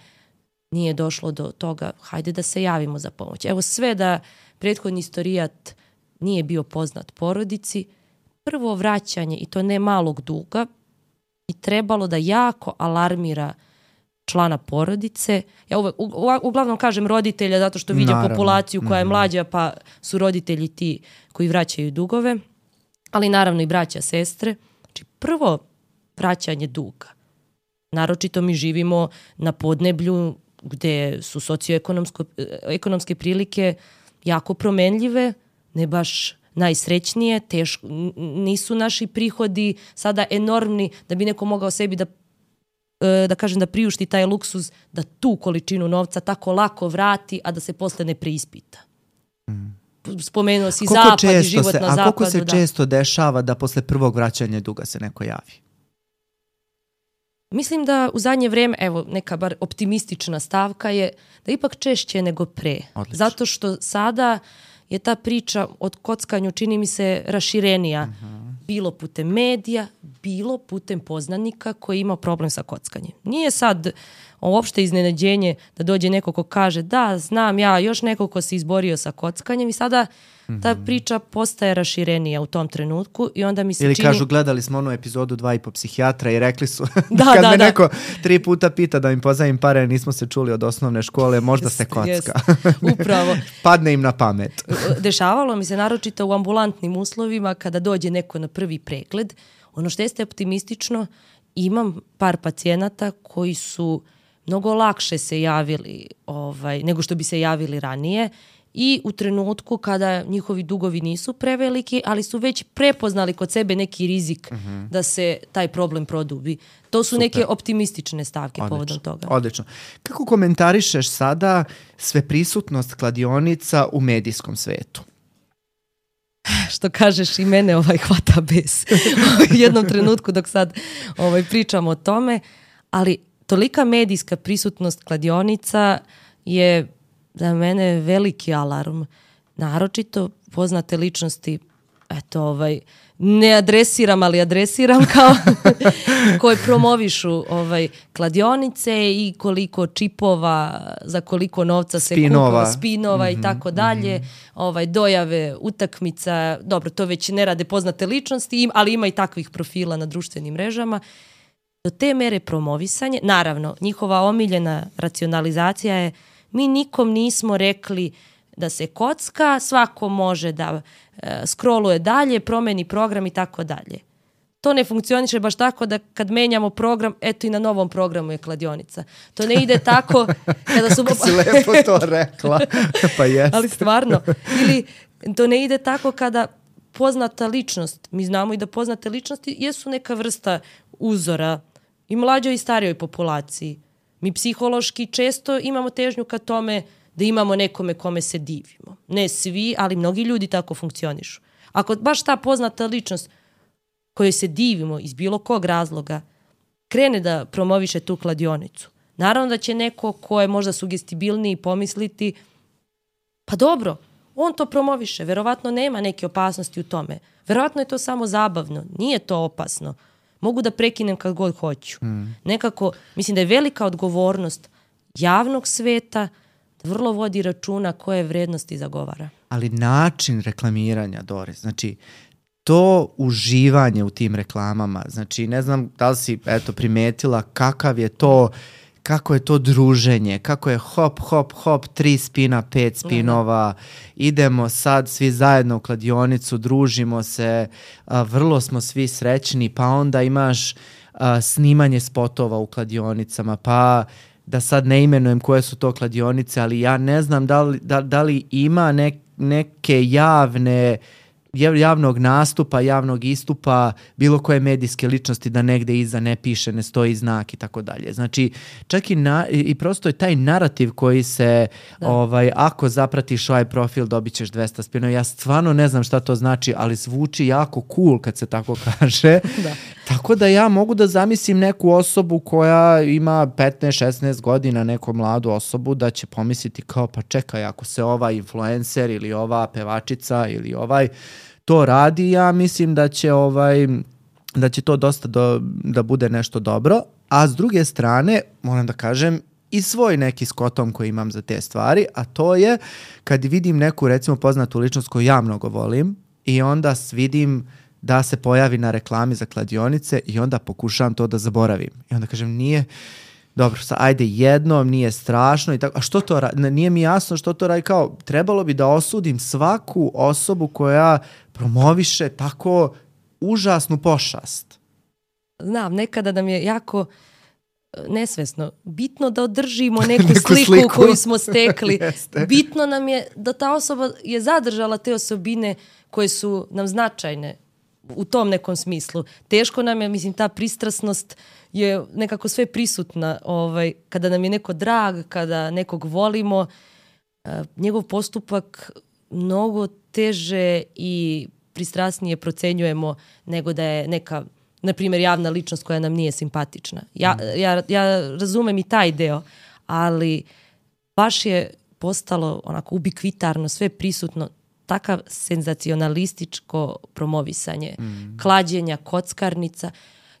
nije došlo do toga, hajde da se javimo za pomoć. Evo, sve da prethodni istorijat nije bio poznat porodici, prvo vraćanje, i to ne malog duga, i trebalo da jako alarmira člana porodice. Ja uvek, u, uglavnom kažem roditelja zato što vidim Naravno. populaciju koja je mlađa, pa su roditelji ti koji vraćaju dugove, ali naravno i braća, sestre. Znači, prvo vraćanje duga. Naročito mi živimo na podneblju gde su socioekonomske prilike jako promenljive, ne baš najsrećnije, teško, nisu naši prihodi sada enormni da bi neko mogao sebi da da kažem da priušti taj luksuz, da tu količinu novca tako lako vrati, a da se posle ne preispita. Mm. Spomenuo si koliko zapad i život se, na a zapadu. A koliko se da. često dešava da posle prvog vraćanja duga se neko javi? Mislim da u zadnje vreme, evo, neka bar optimistična stavka je da ipak češće nego pre. Odlično. Zato što sada je ta priča od kockanju, čini mi se, raširenija. Uh-huh. Bilo putem medija, bilo putem poznanika koji ima problem sa kockanjem. Nije sad uopšte iznenađenje da dođe neko ko kaže da, znam ja, još neko ko se izborio sa kockanjem i sada ta priča postaje raširenija u tom trenutku i onda mi se Ili čini... kažu, gledali smo onu epizodu dva i po psihijatra i rekli su, Da, kad da, me da. neko tri puta pita da im pozajmim pare, nismo se čuli od osnovne škole, možda se kocka. Jest, upravo. Padne im na pamet. Dešavalo mi se naročito u ambulantnim uslovima kada dođe neko na prvi pregled. Ono što jeste optimistično, imam par pacijenata koji su mnogo lakše se javili ovaj, nego što bi se javili ranije i u trenutku kada njihovi dugovi nisu preveliki, ali su već prepoznali kod sebe neki rizik uh-huh. da se taj problem produbi. To su Super. Neke optimistične stavke Odlično. povodom toga. Odlično. Kako komentarišeš sada sveprisutnost kladionica u medijskom svetu? Što kažeš, i mene ovaj hvata bes u jednom trenutku dok sad ovaj, pričamo o tome, ali tolika medijska prisutnost kladionica je za mene veliki alarm. Naročito poznate ličnosti, eto, ovaj, ne adresiram, ali adresiram kao koje promovišu ovaj, kladionice i koliko čipova, za koliko novca se Spinova. kupa, spinova mm-hmm, i tako dalje, mm-hmm. ovaj, dojave utakmica, dobro, to već ne rade poznate ličnosti, ali ima i takvih profila na društvenim mrežama. Do te mere promovisanje, naravno, njihova omiljena racionalizacija je mi nikom nismo rekli da se kocka, svako može da e, scrolluje dalje, promeni program i tako dalje. To ne funkcioniše baš tako da kad menjamo program, eto i na novom programu je kladionica. To ne ide tako kada su... Kako si lepo to rekla. Pa jeste. Ali stvarno. Ili to ne ide tako kada poznata ličnost, mi znamo i da poznate ličnosti jesu neka vrsta uzora i mlađoj i starijoj populaciji. Mi psihološki često imamo težnju ka tome da imamo nekome kome se divimo. Ne svi, ali mnogi ljudi tako funkcionišu. Ako baš ta poznata ličnost kojoj se divimo iz bilo kog razloga krene da promoviše tu kladionicu, naravno da će neko ko je možda sugestibilniji pomisliti pa dobro, on to promoviše, verovatno nema neke opasnosti u tome. Verovatno je to samo zabavno, nije to opasno. Mogu da prekinem kad god hoću. Mm. Nekako, mislim da je velika odgovornost javnog sveta da vrlo vodi računa koje vrednosti zagovara. Ali način reklamiranja, Doris, znači to uživanje u tim reklamama, znači ne znam da li si eto primetila kakav je to, kako je to druženje, kako je hop, hop, hop, tri spina, pet spinova, idemo sad svi zajedno u kladionicu, družimo se, a, vrlo smo svi srećni, pa onda imaš a, snimanje spotova u kladionicama, pa da sad ne imenujem koje su to kladionice, ali ja ne znam da li, da, da li ima ne, neke javne javnog nastupa, javnog istupa bilo koje medijske ličnosti da negde iza ne piše, ne stoji znak i tako dalje. Znači, čak i, na, i prosto je taj narativ koji se, ovaj, ako zapratiš ovaj profil dobit ćeš dvesta spinova. Ja stvarno ne znam šta to znači, ali zvuči jako cool kad se tako kaže. Da. Tako da ja mogu da zamislim neku osobu koja ima petnaest šesnaest godina, neku mladu osobu, da će pomisliti kao pa čekaj, ako se ovaj influencer ili ova pevačica ili ovaj to radi, ja mislim da će ovaj da će to dosta do, da bude nešto dobro, a s druge strane moram da kažem i svoj neki skotom koji imam za te stvari, a to je kad vidim neku recimo poznatu ličnost koju ja mnogo volim i onda vidim da se pojavi na reklami za kladionice i onda pokušavam to da zaboravim. I onda kažem nije dobro, sad, ajde jednom, nije strašno i tako. A što to radi? Nije mi jasno što to radi. Kao, trebalo bi da osudim svaku osobu koja promoviše tako užasnu pošast. Znam, nekada nam je jako nesvesno. Bitno da održimo neku, neku sliku, sliku koju smo stekli. Bitno nam je da ta osoba je zadržala te osobine koje su nam značajne u tom nekom smislu. Teško nam je, mislim, ta pristrasnost je nekako sve prisutna. Ovaj, kada nam je neko drag, kada nekog volimo, njegov postupak mnogo teže i pristrasnije procenjujemo nego da je neka, na primjer, javna ličnost koja nam nije simpatična. Ja, mm. ja, ja razumem i taj deo, ali baš je postalo onako ubikvitarno, sve prisutno. takav senzacionalističko promovisanje mm. klađenja, kockarnica.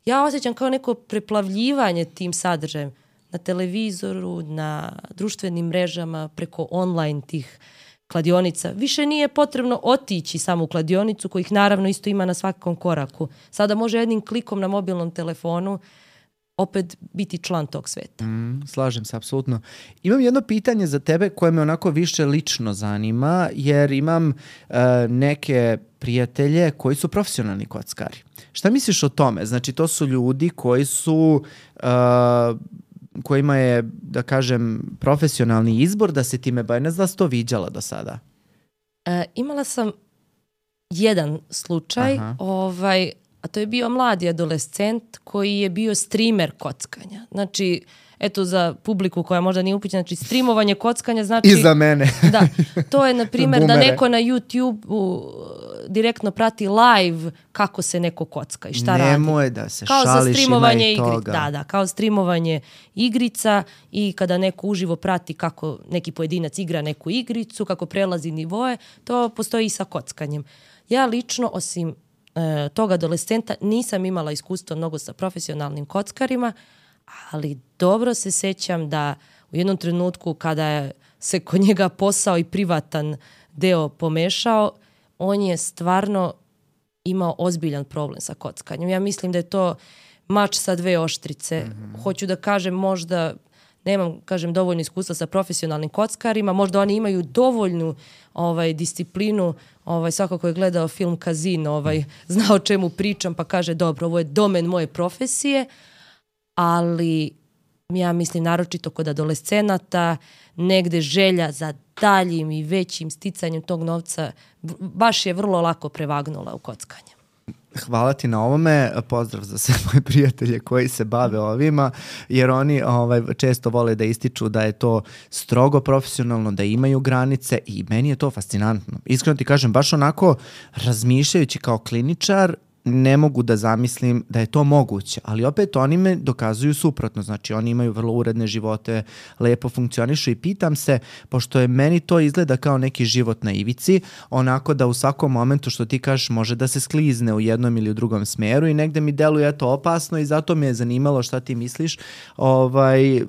Ja osjećam kao neko preplavljivanje tim sadržajem na televizoru, na društvenim mrežama, preko online tih kladionica. Više nije potrebno otići samo u kladionicu, kojih naravno isto ima na svakom koraku. Sada može jednim klikom na mobilnom telefonu opet biti član tog sveta. Mm, slažem se, apsolutno. Imam jedno pitanje za tebe koje me onako više lično zanima, jer imam uh, neke prijatelje koji su profesionalni kockari. Šta misliš o tome? Znači, to su ljudi koji su... Uh, kojima je, da kažem, profesionalni izbor da se time bave. Ne znam da si to viđala do sada. E, imala sam jedan slučaj, ovaj, a to je bio mladi adolescent koji je bio streamer kockanja. Znači, eto za publiku koja možda nije upućena, znači streamovanje kockanja znači... I za mene. Da, to je na primjer da neko na YouTube direktno prati live kako se neko kocka i šta radi. Nemoj da se kao šališ, ima i toga. Da, da, kao streamovanje igrica i kada neko uživo prati kako neki pojedinac igra neku igricu, kako prelazi nivoe, to postoji i sa kockanjem. Ja lično, osim e, tog adolescenta, nisam imala iskustva mnogo sa profesionalnim kockarima, ali dobro se sećam da u jednom trenutku kada je se kod njega posao i privatan deo pomešao, on je stvarno imao ozbiljan problem sa kockanjem. Ja mislim da je to mač sa dve oštrice. Mm-hmm. Hoću da kažem, možda nemam, kažem, dovoljno iskustva sa profesionalnim kockarima, možda oni imaju dovoljnu ovaj, disciplinu, ovaj, svako ko je gledao film Casino, ovaj, zna o čemu pričam, pa kaže, dobro, ovo je domen moje profesije, ali ja mislim naročito kod adolescenata negde želja za daljim i većim sticanjem tog novca baš je vrlo lako prevagnula u kockanje. Hvala ti na ovome, pozdrav za sve moje prijatelje koji se bave ovima, jer oni ovaj, često vole da ističu da je to strogo profesionalno, da imaju granice i meni je to fascinantno. Iskreno ti kažem, baš onako razmišljajući kao kliničar, ne mogu da zamislim da je to moguće, ali opet oni me dokazuju suprotno, znači oni imaju vrlo uredne živote, lepo funkcionišu i pitam se, pošto je meni to izgleda kao neki život na ivici, onako da u svakom momentu što ti kažeš može da se sklizne u jednom ili u drugom smeru i negde mi deluje eto opasno i zato me je zanimalo šta ti misliš, ovaj, e,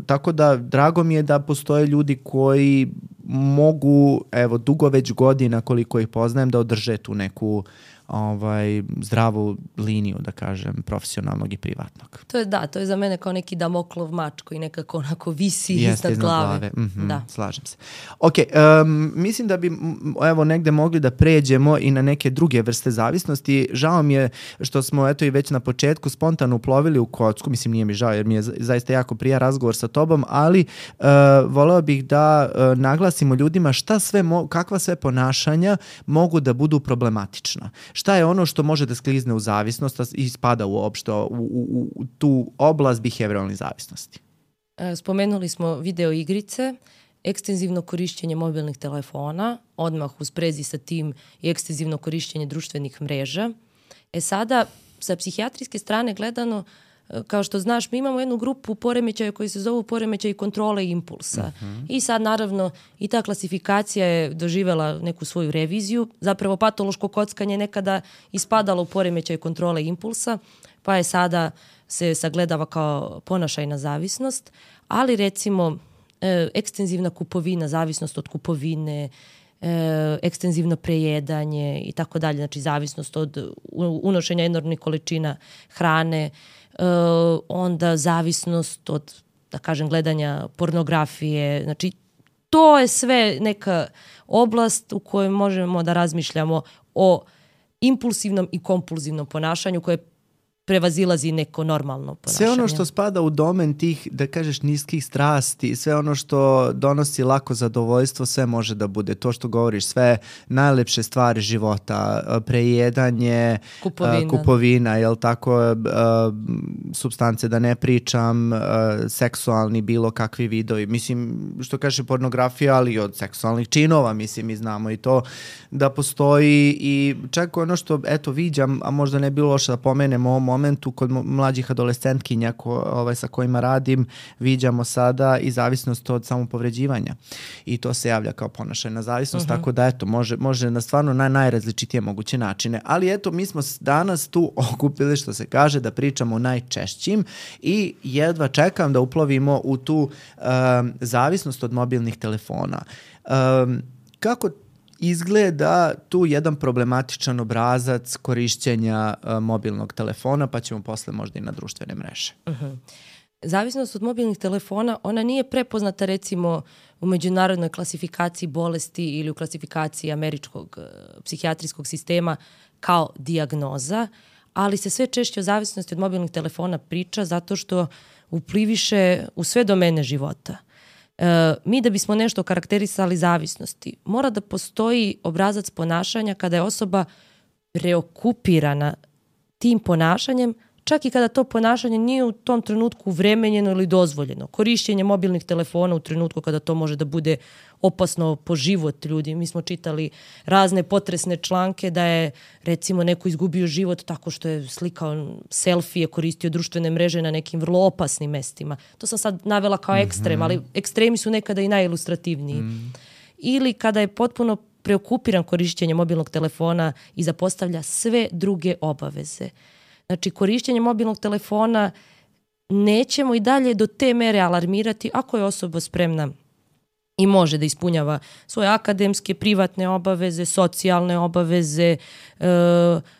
tako da drago mi je da postoje ljudi koji mogu, evo dugo već godina koliko ih poznajem, da održe tu neku ovaj, zdravu liniju, da kažem, profesionalnog i privatnog. To je da, to je za mene kao neki Damoklov mač koji nekako onako visi iznad glave. glave. Mm-hmm, da. Slažem se. Ok, um, mislim da bi evo negde mogli da pređemo i na neke druge vrste zavisnosti. Žao mi je što smo eto i već na početku spontano uplovili u kocku, mislim nije mi žao jer mi je zaista jako prija razgovor sa tobom, ali uh, voleo bih da uh, naglasimo ljudima šta sve, mo- kakva sve ponašanja mogu da budu problematična. Šta je ono što može da sklizne u zavisnost i spada uopšte u, u, u tu oblast behavioralne zavisnosti? Spomenuli smo video igrice, ekstenzivno korišćenje mobilnih telefona, odmah u sprezi sa tim i ekstenzivno korišćenje društvenih mreža. E sada, sa psihijatrijske strane gledano, kao što znaš, mi imamo jednu grupu poremećaja koji se zovu poremećaj kontrole impulsa. Uh-huh. I sad, naravno, i ta klasifikacija je doživela neku svoju reviziju. Zapravo, patološko kockanje je nekada ispadalo u poremećaj kontrole impulsa, pa je sada se sagledava kao ponašajna zavisnost, ali recimo e, ekstenzivna kupovina, zavisnost od kupovine, e, ekstenzivno prejedanje i tako dalje, znači zavisnost od unošenja enormnih količina hrane, Uh, onda zavisnost od, da kažem, gledanja pornografije. Znači, to je sve neka oblast u kojoj možemo da razmišljamo o impulsivnom i kompulzivnom ponašanju koje prevazilazi neko normalno ponašanje. Sve ono što spada u domen tih, da kažeš, niskih strasti, sve ono što donosi lako zadovoljstvo, sve može da bude. To što govoriš, sve najlepše stvari života, prejedanje, kupovina, kupovina jel tako, supstance da ne pričam, seksualni bilo kakvi vidovi. Mislim, što kaže pornografija, ali i od seksualnih činova, mislim, mi znamo i to da postoji i čak ono što, eto, viđam, a možda ne bilo loše da pomenemo u ovom momentu kod mlađih adolescentkinja ko, ovaj, sa kojima radim, viđamo sada i zavisnost od samopovređivanja. I to se javlja kao ponašajna zavisnost, uh-huh. tako da eto, može, može na stvarno na najrazličitije moguće načine. Ali eto, mi smo danas tu okupili, što se kaže, da pričamo o najčešćim i jedva čekam da uplovimo u tu um, zavisnost od mobilnih telefona. Um, kako izgleda tu jedan problematičan obrazac korišćenja uh, mobilnog telefona, pa ćemo posle možda i na društvene mreže. Uh-huh. Zavisnost od mobilnih telefona, ona nije prepoznata recimo u međunarodnoj klasifikaciji bolesti ili u klasifikaciji američkog uh, psihijatrijskog sistema kao dijagnoza, ali se sve češće o zavisnosti od mobilnih telefona priča zato što upliviše u sve domene života. E, mi da bismo nešto karakterisali zavisnosti, mora da postoji obrazac ponašanja kada je osoba preokupirana tim ponašanjem, čak i kada to ponašanje nije u tom trenutku vremenjeno ili dozvoljeno. Korišćenje mobilnih telefona u trenutku kada to može da bude opasno po život ljudi. Mi smo čitali razne potresne članke da je recimo neko izgubio život tako što je slikao selfije, koristio društvene mreže na nekim vrlo opasnim mestima. To sam sad navela kao ekstrem, ali ekstremi su nekada i najilustrativniji. Mm. Ili kada je potpuno preokupiran korišćenjem mobilnog telefona i zapostavlja sve druge obaveze. Znači, korišćenje mobilnog telefona nećemo i dalje do te mere alarmirati ako je osoba spremna i može da ispunjava svoje akademske, privatne obaveze, socijalne obaveze, e,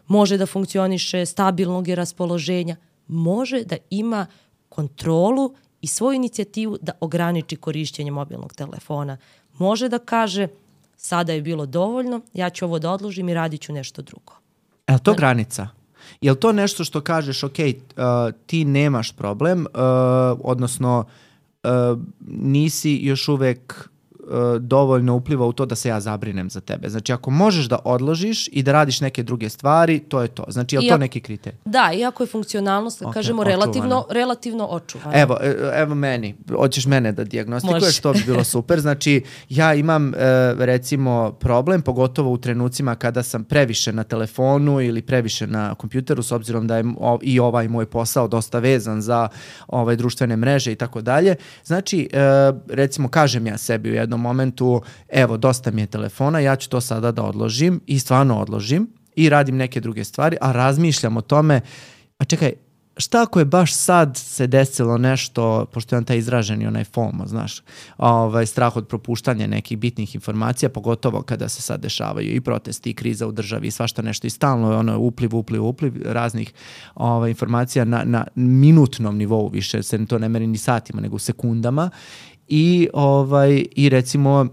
može da funkcioniše stabilnog je raspoloženja, može da ima kontrolu i svoju inicijativu da ograniči korišćenje mobilnog telefona. Može da kaže, sada je bilo dovoljno, ja ću ovo da odložim i radit ću nešto drugo. Je li to granica? Je li to nešto što kažeš, ok, uh, ti nemaš problem, uh, odnosno uh, nisi još uvek uh, dovoljno upliva u to da se ja zabrinem za tebe. Znači, ako možeš da odložiš i da radiš neke druge stvari, to je to. Znači, je li to neki kriterij? Da, iako je funkcionalnost, okay, kažemo, relativno, relativno očuvana. Evo, evo meni, hoćeš mene da dijagnostikuješ, to bi bilo super. Znači, ja imam, recimo, problem, pogotovo u trenucima kada sam previše na telefonu ili previše na kompjuteru, s obzirom da je i ovaj moj posao dosta vezan za ovaj, društvene mreže i tako dalje. Znači, recimo, kažem ja sebi u jednom momentu, evo, dosta mi je telefona, ja ću to sada da odložim i stvarno odložim i radim neke druge stvari, a razmišljam o tome, a čekaj, šta ako je baš sad se desilo nešto, pošto je on taj izraženi onaj FOMO, znaš, ovaj, strah od propuštanja nekih bitnih informacija, pogotovo kada se sad dešavaju i protesti i kriza u državi i svašta nešto i stalno je ono upliv, upliv, upliv raznih ovaj, informacija na, na minutnom nivou, više se to ne meri ni satima, nego u sekundama i, ovaj, i recimo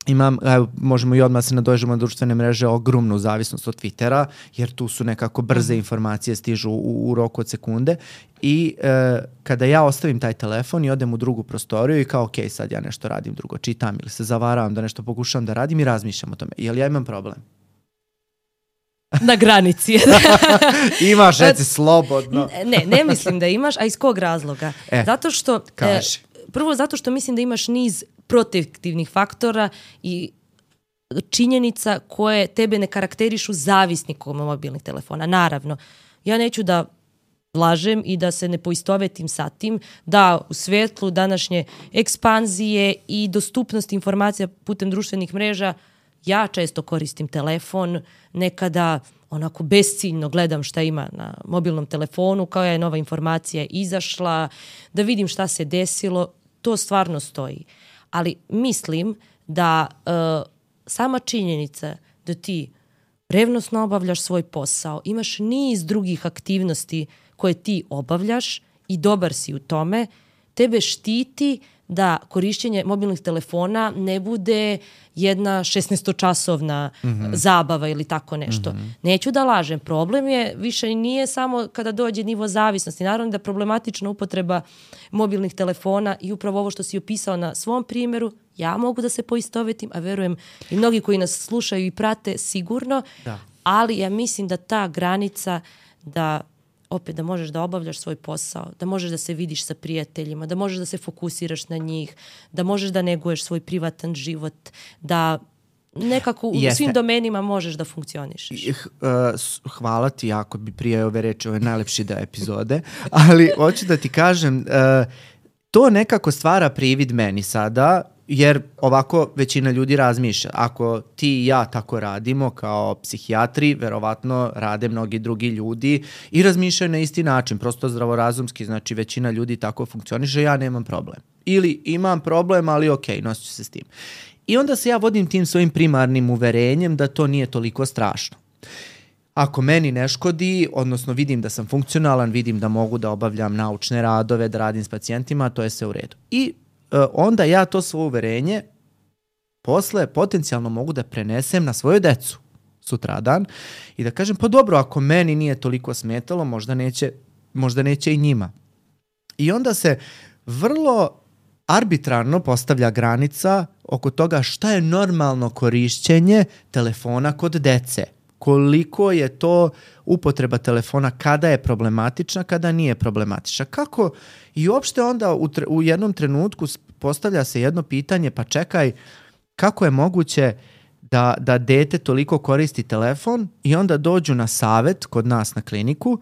imam, evo, možemo i odmah se nadođemo na društvene mreže, ogromnu zavisnost od Twittera, jer tu su nekako brze informacije, stižu u, u roku od sekunde i e, kada ja ostavim taj telefon i odem u drugu prostoriju i kao, ok, sad ja nešto radim drugo, čitam ili se zavaravam da nešto pokušavam da radim i razmišljam o tome. Jel ja imam problem? Na granici. Imaš, reci slobodno. Ne, ne mislim da imaš, a iz kog razloga? E, zato što, kaži. E, prvo zato što mislim da imaš niz protektivnih faktora i činjenica koje tebe ne karakterišu zavisnikom mobilnih telefona. Naravno, ja neću da lažem i da se ne poistovetim sa tim da u svetlu današnje ekspanzije i dostupnosti informacija putem društvenih mreža ja često koristim telefon, nekada onako besciljno gledam šta ima na mobilnom telefonu, kao je nova informacija izašla, da vidim šta se desilo, to stvarno stoji. Ali mislim da uh, sama činjenica da ti revnosno obavljaš svoj posao, imaš niz drugih aktivnosti koje ti obavljaš i dobar si u tome, tebe štiti da korišćenje mobilnih telefona ne bude jedna šesnaestočasovna mm-hmm. zabava ili tako nešto. Mm-hmm. Neću da lažem, problem je više nije samo kada dođe nivo zavisnosti. Naravno da problematična upotreba mobilnih telefona i upravo ovo što si opisao na svom primjeru, ja mogu da se poistovetim, a verujem i mnogi koji nas slušaju i prate sigurno, da. Ali ja mislim da ta granica da opet da možeš da obavljaš svoj posao, da možeš da se vidiš sa prijateljima, da možeš da se fokusiraš na njih, da možeš da neguješ svoj privatan život, da nekako u Jeste. svim domenima možeš da funkcionišeš. Hvala ti, jako bi prije ove reči, ove najlepši deo epizode, ali hoću da ti kažem, to nekako stvara privid meni sada, jer ovako većina ljudi razmišlja. Ako ti i ja tako radimo kao psihijatri, verovatno rade mnogi drugi ljudi i razmišljaju na isti način, prosto zdravorazumski, znači većina ljudi tako funkcioniše, ja nemam problem. Ili imam problem, ali ok, nosit ću se s tim. I onda se ja vodim tim svojim primarnim uverenjem da to nije toliko strašno. Ako meni ne škodi, odnosno vidim da sam funkcionalan, vidim da mogu da obavljam naučne radove, da radim s pacijentima, to je sve u redu. I e, onda ja to svoje uverenje posle potencijalno mogu da prenesem na svoju decu sutradan i da kažem, pa dobro, ako meni nije toliko smetalo, možda neće, možda neće i njima. I onda se vrlo arbitrarno postavlja granica oko toga šta je normalno korišćenje telefona kod dece. Koliko je to upotreba telefona, kada je problematična, kada nije problematična. Kako i uopšte onda u, tre, u jednom trenutku postavlja se jedno pitanje, pa čekaj, kako je moguće da, da dete toliko koristi telefon i onda dođu na savet kod nas na kliniku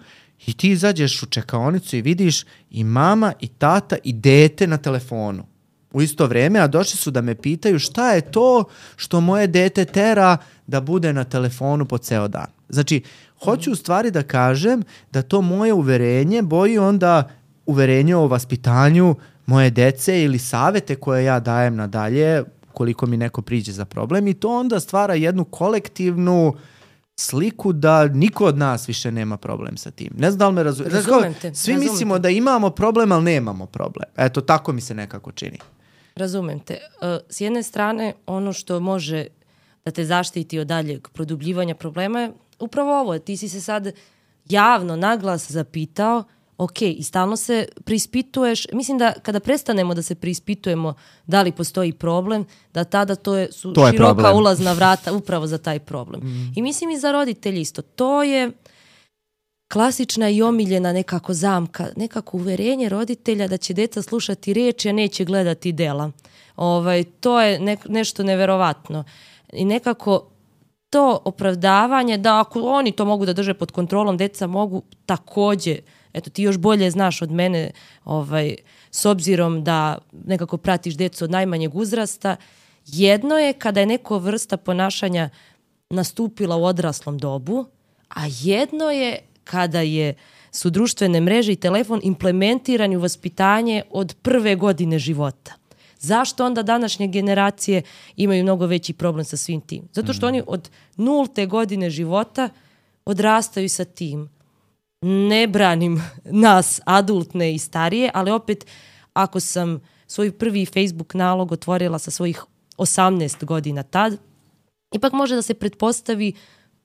i ti izađeš u čekaonicu i vidiš i mama i tata i dete na telefonu u isto vrijeme, a došli su da me pitaju šta je to što moje dete tera da bude na telefonu po ceo dan. Znači, hoću u stvari da kažem da to moje uverenje boji onda uverenje o vaspitanju moje dece ili savete koje ja dajem nadalje koliko mi neko priđe za problem i to onda stvara jednu kolektivnu sliku da niko od nas više nema problem sa tim. Ne znam da li me razum... Razumem te. Svi razumem mislimo te. da imamo problem, ali nemamo problem. Eto, tako mi se nekako čini. Razumem te. S jedne strane, ono što može da te zaštiti od daljeg produbljivanja problema je upravo ovo. Ti si se sad javno, naglas zapitao, ok, i stalno se preispituješ. Mislim da kada prestanemo da se preispitujemo da li postoji problem, da tada to je, su to je široka problem. ulazna vrata upravo za taj problem. Mm. I mislim i za roditelji isto. To je klasična i omiljena nekako zamka, nekako uverenje roditelja da će deca slušati riječi, a neće gledati dela. Ovaj, to je ne, nešto neverovatno. I nekako to opravdavanje da ako oni to mogu da drže pod kontrolom, deca mogu također, eto ti još bolje znaš od mene, ovaj, s obzirom da nekako pratiš decu od najmanjeg uzrasta, jedno je kada je neko vrsta ponašanja nastupila u odraslom dobu, a jedno je kada je, su društvene mreže i telefon implementirani u vaspitanje od prve godine života. Zašto onda današnje generacije imaju mnogo veći problem sa svim tim? Zato što mm. oni od nulte godine života odrastaju sa tim. Ne branim nas, adultne i starije, ali opet ako sam svoj prvi Facebook nalog otvorila sa svojih osamnaest godina tad, ipak može da se pretpostavi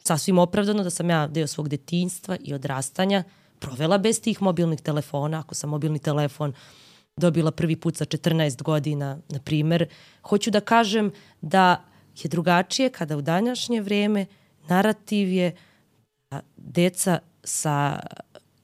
sasvim opravdano da sam ja deo svog detinjstva i odrastanja provela bez tih mobilnih telefona. Ako sam mobilni telefon dobila prvi put sa četrnaest godina, na primjer, hoću da kažem da je drugačije kada u današnje vrijeme narativ je da deca sa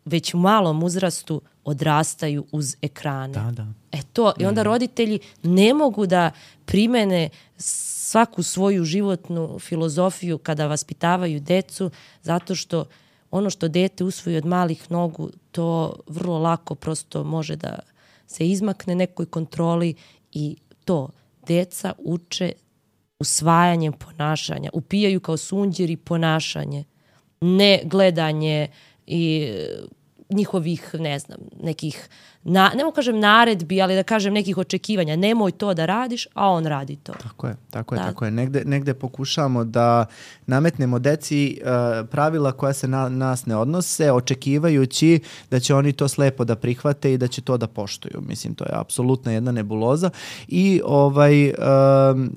već u malom uzrastu odrastaju uz ekrane. Da, da. E to, i onda roditelji ne mogu da primene svaku svoju životnu filozofiju kada vaspitavaju decu, zato što ono što dete usvoji od malih nogu, to vrlo lako prosto može da se izmakne nekoj kontroli i to deca uče usvajanjem ponašanja, upijaju kao sunđeri ponašanje, ne gledanje i njihovih, ne znam, nekih, na, ne mogu kažem naredbi, ali da kažem nekih očekivanja. Nemoj to da radiš, a on radi to. Tako je, tako je, da. tako je. Negde, negde pokušamo da nametnemo deci uh, pravila koja se na nas ne odnose, očekivajući da će oni to slepo da prihvate i da će to da poštuju. Mislim, to je apsolutna jedna nebuloza. I ovaj, uh,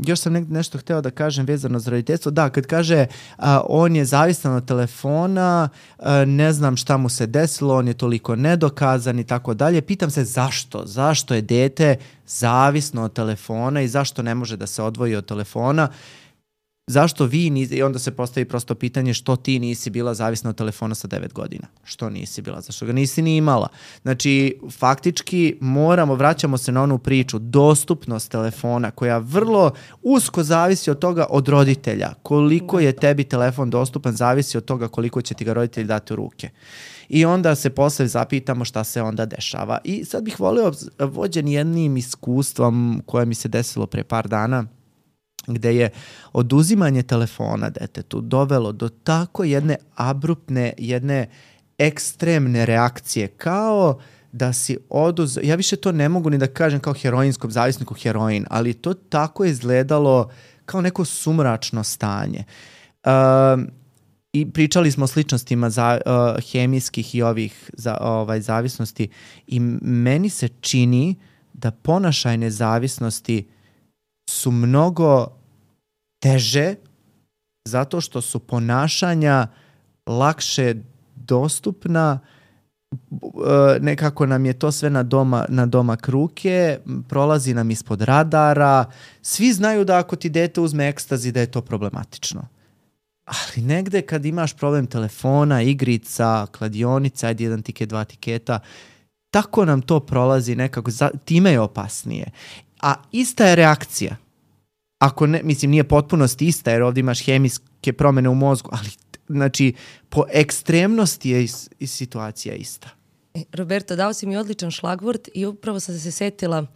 još sam ne, nešto hteo da kažem vezano za roditeljstvo. Da, kad kaže uh, on je zavisan od telefona, uh, ne znam šta mu se desilo, on je toliko nedokazan i tako dalje. Pitam se zašto? Zašto je dete zavisno od telefona i zašto ne može da se odvoji od telefona? zašto vi nisi, i onda se postavi prosto pitanje što ti nisi bila zavisna od telefona sa devet godina. Što nisi bila? Zašto ga nisi ni imala? Znači, faktički moramo, vraćamo se na onu priču, dostupnost telefona koja vrlo usko zavisi od toga od roditelja. Koliko je tebi telefon dostupan zavisi od toga koliko će ti ga roditelji dati u ruke. I onda se posle zapitamo šta se onda dešava. I sad bih volio, vođen jednim iskustvom koje mi se desilo pre par dana, gde je oduzimanje telefona detetu dovelo do tako jedne abruptne, jedne ekstremne reakcije, kao da si oduzeo, ja više to ne mogu ni da kažem kao heroinskom zavisniku heroin, ali to tako je izgledalo kao neko sumračno stanje. Um, I pričali smo o sličnostima za, uh, hemijskih i ovih za, ovaj, zavisnosti i meni se čini da ponašajne zavisnosti su mnogo teže zato što su ponašanja lakše dostupna, nekako nam je to sve na, doma, na domak ruke, prolazi nam ispod radara, svi znaju da ako ti dete uzme ekstazi da je to problematično. Ali negde kad imaš problem telefona, igrica, kladionica, ajde jedan tiket, dva tiketa, tako nam to prolazi nekako, time je opasnije. A ista je reakcija. Ako ne, mislim, nije potpunost ista, jer ovdje imaš hemijske promjene u mozgu, ali znači, po ekstremnosti je is, is situacija ista. Roberto, dao si mi odličan šlagvort i upravo sam se setila uh,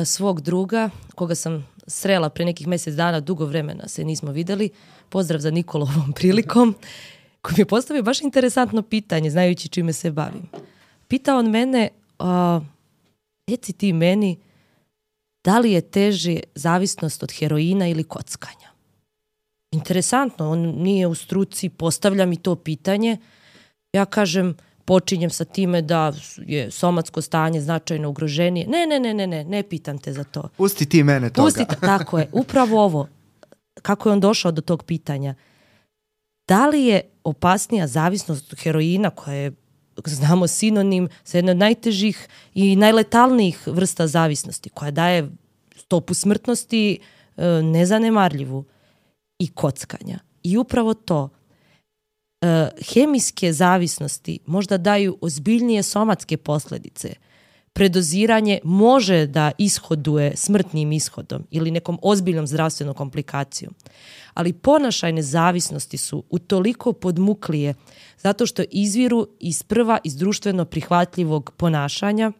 svog druga, koga sam srela pre nekih mjesec dana, dugo vremena se nismo videli. Pozdrav za Nikolu ovom prilikom, koji mi je postavio baš interesantno pitanje, znajući čime se bavim. Pitao on mene, uh, reci ti meni, da li je teže zavisnost od heroina ili kockanja? Interesantno, on nije u struci, postavlja mi to pitanje. Ja kažem, počinjem sa time da je somatsko stanje značajno ugroženije. Ne, ne, ne, ne, ne, ne pitam te za to. Pusti ti mene toga. Pusti, tako je, upravo ovo. Kako je on došao do tog pitanja? Da li je opasnija zavisnost od heroina, koja je, znamo, sinonim sa jedne od najtežih i najletalnijih vrsta zavisnosti, koja daje stopu smrtnosti e, nezanemarljivu, i kockanja. I upravo to, e, hemijske zavisnosti možda daju ozbiljnije somatske posljedice. Predoziranje može da ishoduje smrtnim ishodom ili nekom ozbiljnom zdravstvenom komplikacijom. Ali ponašajne zavisnosti su utoliko podmuklije zato što izviru iz prva iz društveno prihvatljivog ponašanja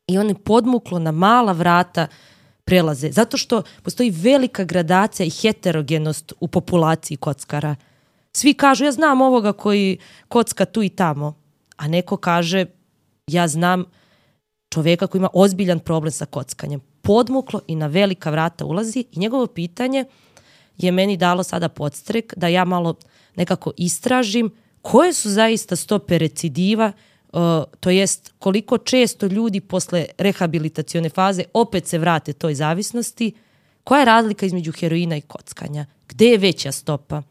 i one podmuklo na mala vrata prelaze. Zato što postoji velika gradacija i heterogenost u populaciji kockara. Svi kažu, ja znam ovoga koji kocka tu i tamo, a neko kaže, ja znam čovjeka koji ima ozbiljan problem sa kockanjem. Podmuklo i na velika vrata ulazi i njegovo pitanje je meni dalo sada podstrek da ja malo nekako istražim koje su zaista stope recidiva, uh, to jest koliko često ljudi posle rehabilitacione faze opet se vrate toj zavisnosti, koja je razlika između heroina i kockanja, gde je veća stopa.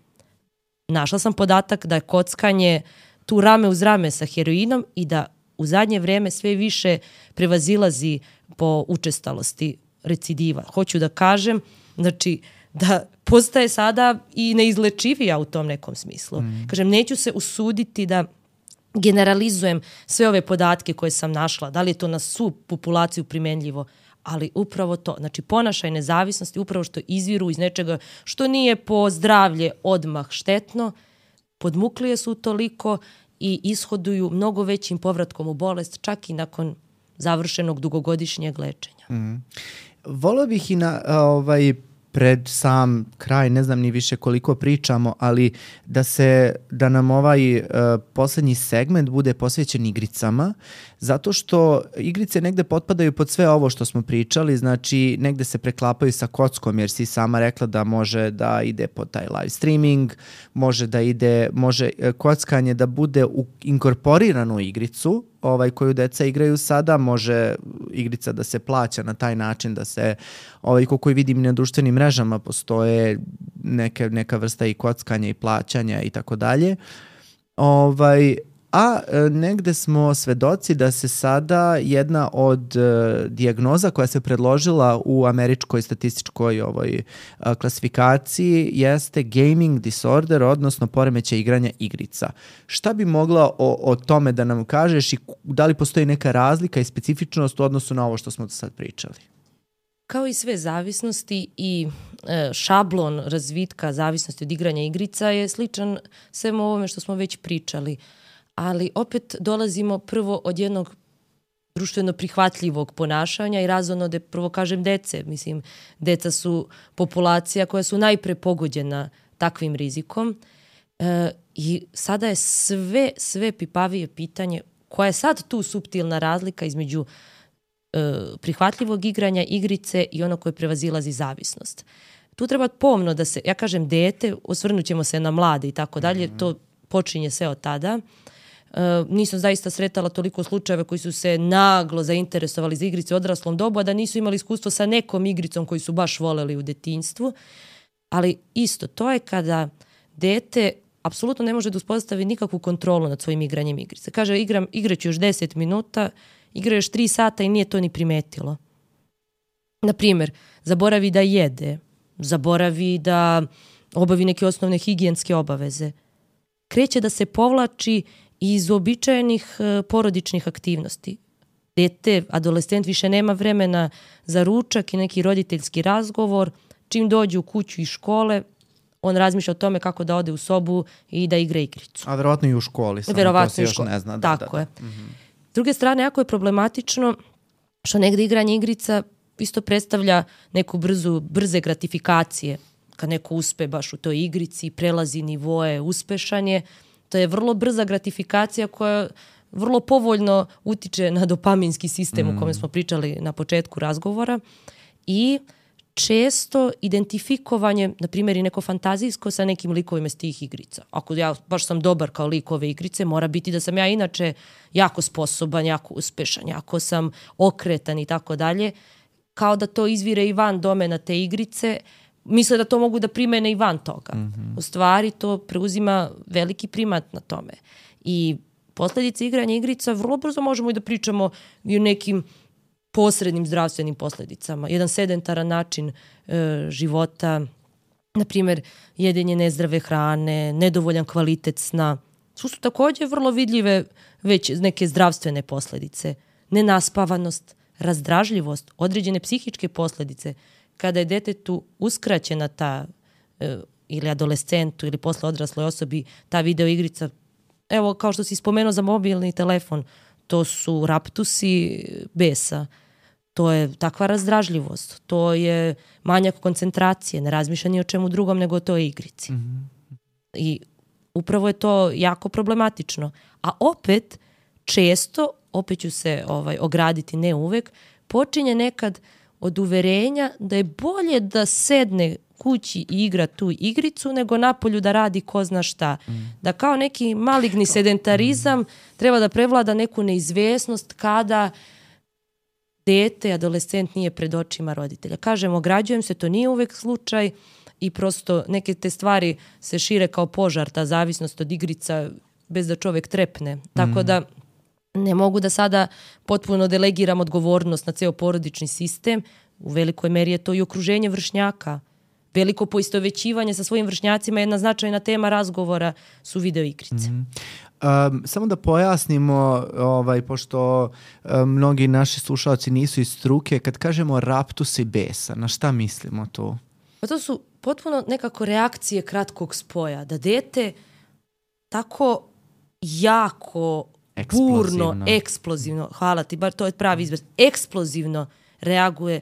Našla sam podatak da je kockanje tu rame uz rame sa heroinom i da u zadnje vrijeme sve više prevazilazi po učestalosti recidiva. Hoću da kažem, znači, da postaje sada i neizlečivija u tom nekom smislu. Mm. Kažem, neću se usuditi da generalizujem sve ove podatke koje sam našla, da li je to na svu populaciju primenljivo, ali upravo to, znači ponašajne zavisnosti, upravo što izviru iz nečega što nije po zdravlje odmah štetno, podmuklije su toliko i ishoduju mnogo većim povratkom u bolest, čak i nakon završenog dugogodišnjeg lečenja. Mm. Volio bih i na ovaj, pred sam kraj, ne znam ni više koliko pričamo, ali da se da nam ovaj uh, posljednji segment bude posvećen igricama, zato što igrice negde potpadaju pod sve ovo što smo pričali, znači negde se preklapaju sa kockom, jer si sama rekla da može da ide pod taj live streaming, može da ide, može kockanje da bude u, inkorporirano u igricu, ovaj koju deca igraju sada, može igrica da se plaća na taj način da se, ovaj kako vidim na društvenim mrežama postoje neke, neka vrsta i kockanja i plaćanja i tako dalje. Ovaj A e, negde smo svedoci da se sada jedna od e, dijagnoza koja se predložila u američkoj statističkoj ovoj a, klasifikaciji jeste gaming disorder, odnosno poremećaj igranja igrica. Šta bi mogla o, o tome da nam kažeš i da li postoji neka razlika i specifičnost u odnosu na ovo što smo do sad pričali? Kao i sve zavisnosti i e, šablon razvitka zavisnosti od igranja igrica je sličan svemu ovome što smo već pričali. Ali opet dolazimo prvo od jednog društveno prihvatljivog ponašanja i razvojno da prvo kažem dece. Mislim, deca su populacija koja su najpre pogođena takvim rizikom. E, I sada je sve, sve pipavije pitanje koja je sad tu suptilna razlika između e, prihvatljivog igranja igrice i ono koje prevazilazi zavisnost. Tu treba pomno da se, ja kažem dete, osvrnut ćemo se na mlade i tako dalje, to počinje sve od tada. Uh, nisam zaista sretala toliko slučajeva koji su se naglo zainteresovali za igrice u odraslom dobu, a da nisu imali iskustvo sa nekom igricom koju su baš voleli u detinjstvu. Ali isto, to je kada dete apsolutno ne može da uspostavi nikakvu kontrolu nad svojim igranjem igrice. Kaže, igram, igraću još deset minuta, igra još tri sata i nije to ni primetilo. Naprimjer, zaboravi da jede, zaboravi da obavi neke osnovne higijenske obaveze. Kreće da se povlači iz uobičajenih uh, porodičnih aktivnosti. Dete, adolescent više nema vremena za ručak i neki roditeljski razgovor. Čim dođe u kuću iz škole, on razmišlja o tome kako da ode u sobu i da igra igricu. A verovatno i u školi, samo verovatno to se još školi. Ne zna. Da, Tako da, je. da. Mm-hmm. S druge strane, jako je problematično što negde igranje igrica isto predstavlja neku brzu, brze gratifikacije. Kad neko uspe baš u toj igrici, prelazi nivoe, uspešan je. To je vrlo brza gratifikacija koja vrlo povoljno utiče na dopaminski sistem mm. o kome smo pričali na početku razgovora i često identifikovanje, na primjer i neko fantazijsko sa nekim likovima iz tih igrica. Ako ja baš sam dobar kao lik ove igrice, mora biti da sam ja inače jako sposoban, jako uspešan, jako sam okretan i tako dalje. Kao da to izvire i van domena te igrice, misle da to mogu da primene i van toga. Mm-hmm. U stvari to preuzima veliki primat na tome. I posledice igranja igrica vrlo brzo možemo i da pričamo i o nekim posrednim zdravstvenim posledicama. Jedan sedentaran način e, života, na primjer jedenje nezdrave hrane, nedovoljan kvalitet sna, su su također vrlo vidljive već neke zdravstvene posledice. Nenaspavanost, razdražljivost, određene psihičke posledice. Kada je detetu uskraćena ta e, ili adolescentu ili posle odrasloj osobi ta video igrica, evo kao što si spomenuo za mobilni telefon, to su raptusi besa, to je takva razdražljivost, to je manjak koncentracije, ne razmišlja ni o čemu drugom nego o toj igrici. Mm-hmm. I upravo je to jako problematično. A opet, često, opet ću se ovaj, ograditi, ne uvek, počinje nekad od uverenja da je bolje da sedne kući i igra tu igricu nego napolju da radi ko zna šta. Mm. Da kao neki maligni sedentarizam treba da prevlada neku neizvesnost kada dete, adolescent nije pred očima roditelja. Kažem, ograđujem se, to nije uvek slučaj i prosto neke te stvari se šire kao požar, ta zavisnost od igrica bez da čovek trepne. Tako mm. da ne mogu da sada potpuno delegiram odgovornost na ceo porodični sistem. U velikoj meri je to i okruženje vršnjaka. Veliko poistovećivanje sa svojim vršnjacima je jedna značajna tema razgovora su video igrice. Mm-hmm. Um, samo da pojasnimo, ovaj, pošto um, mnogi naši slušalci nisu iz struke, kad kažemo raptusi besa, na šta mislimo to? Pa to su potpuno nekako reakcije kratkog spoja. Da dete tako jako burno, eksplozivno, hvala ti, bar to je pravi izraz, eksplozivno reaguje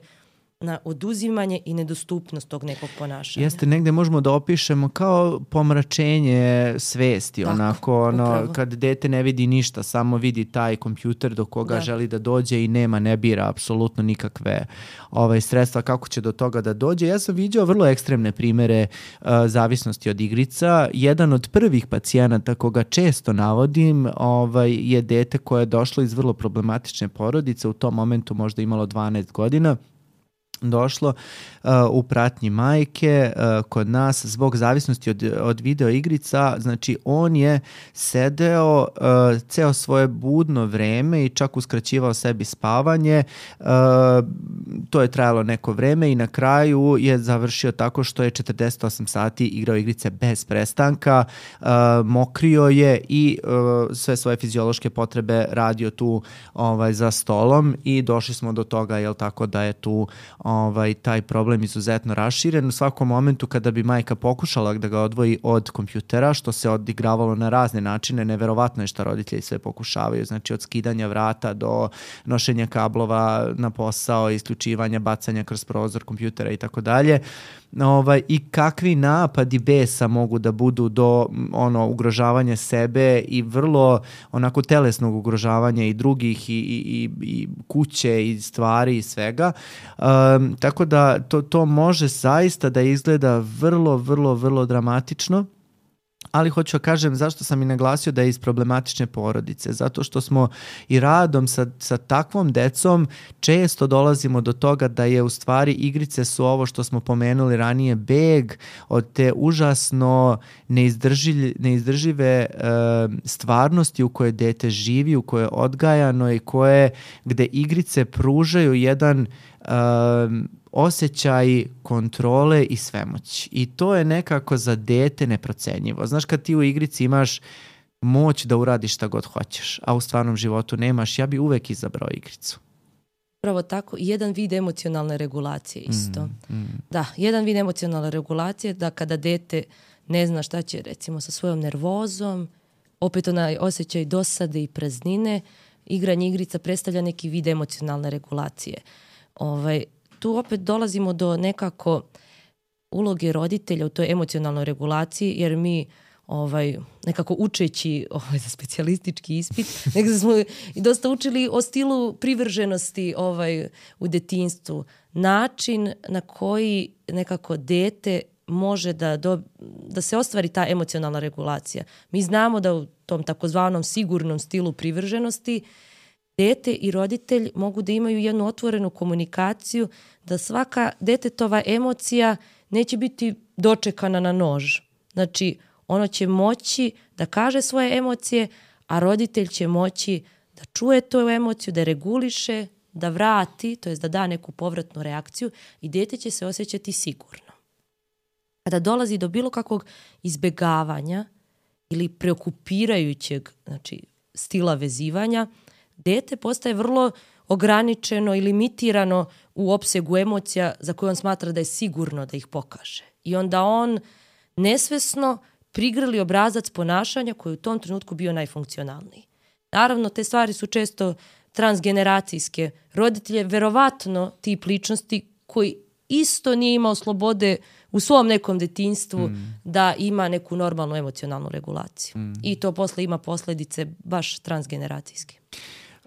na oduzimanje i nedostupnost tog nekog ponašanja. Jeste, negde možemo da opišemo kao pomračenje svesti, tako, onako, ono, kad dete ne vidi ništa, samo vidi taj kompjuter do koga da. želi da dođe i nema, ne bira apsolutno nikakve ovaj, sredstva kako će do toga da dođe. Ja sam vidio vrlo ekstremne primere uh, zavisnosti od igrica. Jedan od prvih pacijenata koga često navodim ovaj, je dete koje je došlo iz vrlo problematične porodice, u tom momentu možda imalo dvanaest godina. došlo uh, u pratnji majke uh, kod nas zbog zavisnosti od, od video igrica. Znači on je sedeo uh, ceo svoje budno vreme i čak uskraćivao sebi spavanje. Uh, to je trajalo neko vreme i na kraju je završio tako što je četrdeset osam sati igrao igrice bez prestanka, uh, mokrio je i uh, sve svoje fiziološke potrebe radio tu ovaj, za stolom i došli smo do toga, jel tako, da je tu ovaj, taj problem izuzetno raširen. U svakom momentu kada bi majka pokušala da ga odvoji od kompjutera, što se odigravalo na razne načine, neverovatno je šta roditelji sve pokušavaju, znači od skidanja vrata do nošenja kablova na posao, isključivanja, bacanja kroz prozor kompjutera i tako dalje. Ovaj, i kakvi napadi besa mogu da budu do ono ugrožavanja sebe i vrlo onako telesnog ugrožavanja i drugih i, i, i kuće i stvari i svega. Um, tako da to, to može zaista da izgleda vrlo, vrlo, vrlo dramatično. Ali hoću da kažem zašto sam i naglasio da je iz problematične porodice. Zato što smo i radom sa, sa takvom decom često dolazimo do toga da je u stvari igrice su ovo što smo pomenuli ranije, beg od te užasno neizdržive, neizdržive e, stvarnosti u kojoj dete živi, u kojoj je odgajano i koje, gde igrice pružaju jedan e, osjećaj kontrole i svemoći. I to je nekako za dete neprocenjivo. Znaš, kad ti u igrici imaš moć da uradiš šta god hoćeš, a u stvarnom životu nemaš, ja bi uvek izabrao igricu. Pravo tako, jedan vid emocionalne regulacije isto. Mm, mm. Da, jedan vid emocionalne regulacije, da kada dete ne zna šta će recimo sa svojom nervozom, opet onaj osjećaj dosade i praznine, igranje igrica predstavlja neki vid emocionalne regulacije. Ovaj, tu opet dolazimo do nekako uloge roditelja u toj emocionalnoj regulaciji, jer mi ovaj, nekako učeći ovaj, za specijalistički ispit, nekako smo i dosta učili o stilu privrženosti ovaj, u detinjstvu. Način na koji nekako dete može da, do, da se ostvari ta emocionalna regulacija. Mi znamo da u tom takozvanom sigurnom stilu privrženosti dete i roditelj mogu da imaju jednu otvorenu komunikaciju, da svaka detetova emocija neće biti dočekana na nož. Znači, ono će moći da kaže svoje emocije, a roditelj će moći da čuje tu emociju, da reguliše, da vrati, to jest da da neku povratnu reakciju i dete će se osjećati sigurno. Kada dolazi do bilo kakvog izbegavanja ili preokupirajućeg, znači, stila vezivanja, dete postaje vrlo ograničeno i limitirano u opsegu emocija za koje on smatra da je sigurno da ih pokaže. I onda on nesvesno prigrli obrazac ponašanja koji u tom trenutku bio najfunkcionalniji. Naravno, te stvari su često transgeneracijske. Roditelj je verovatno tip ličnosti koji isto nije imao slobode u svom nekom detinjstvu mm. da ima neku normalnu emocionalnu regulaciju. Mm. I to posle ima posledice baš transgeneracijske.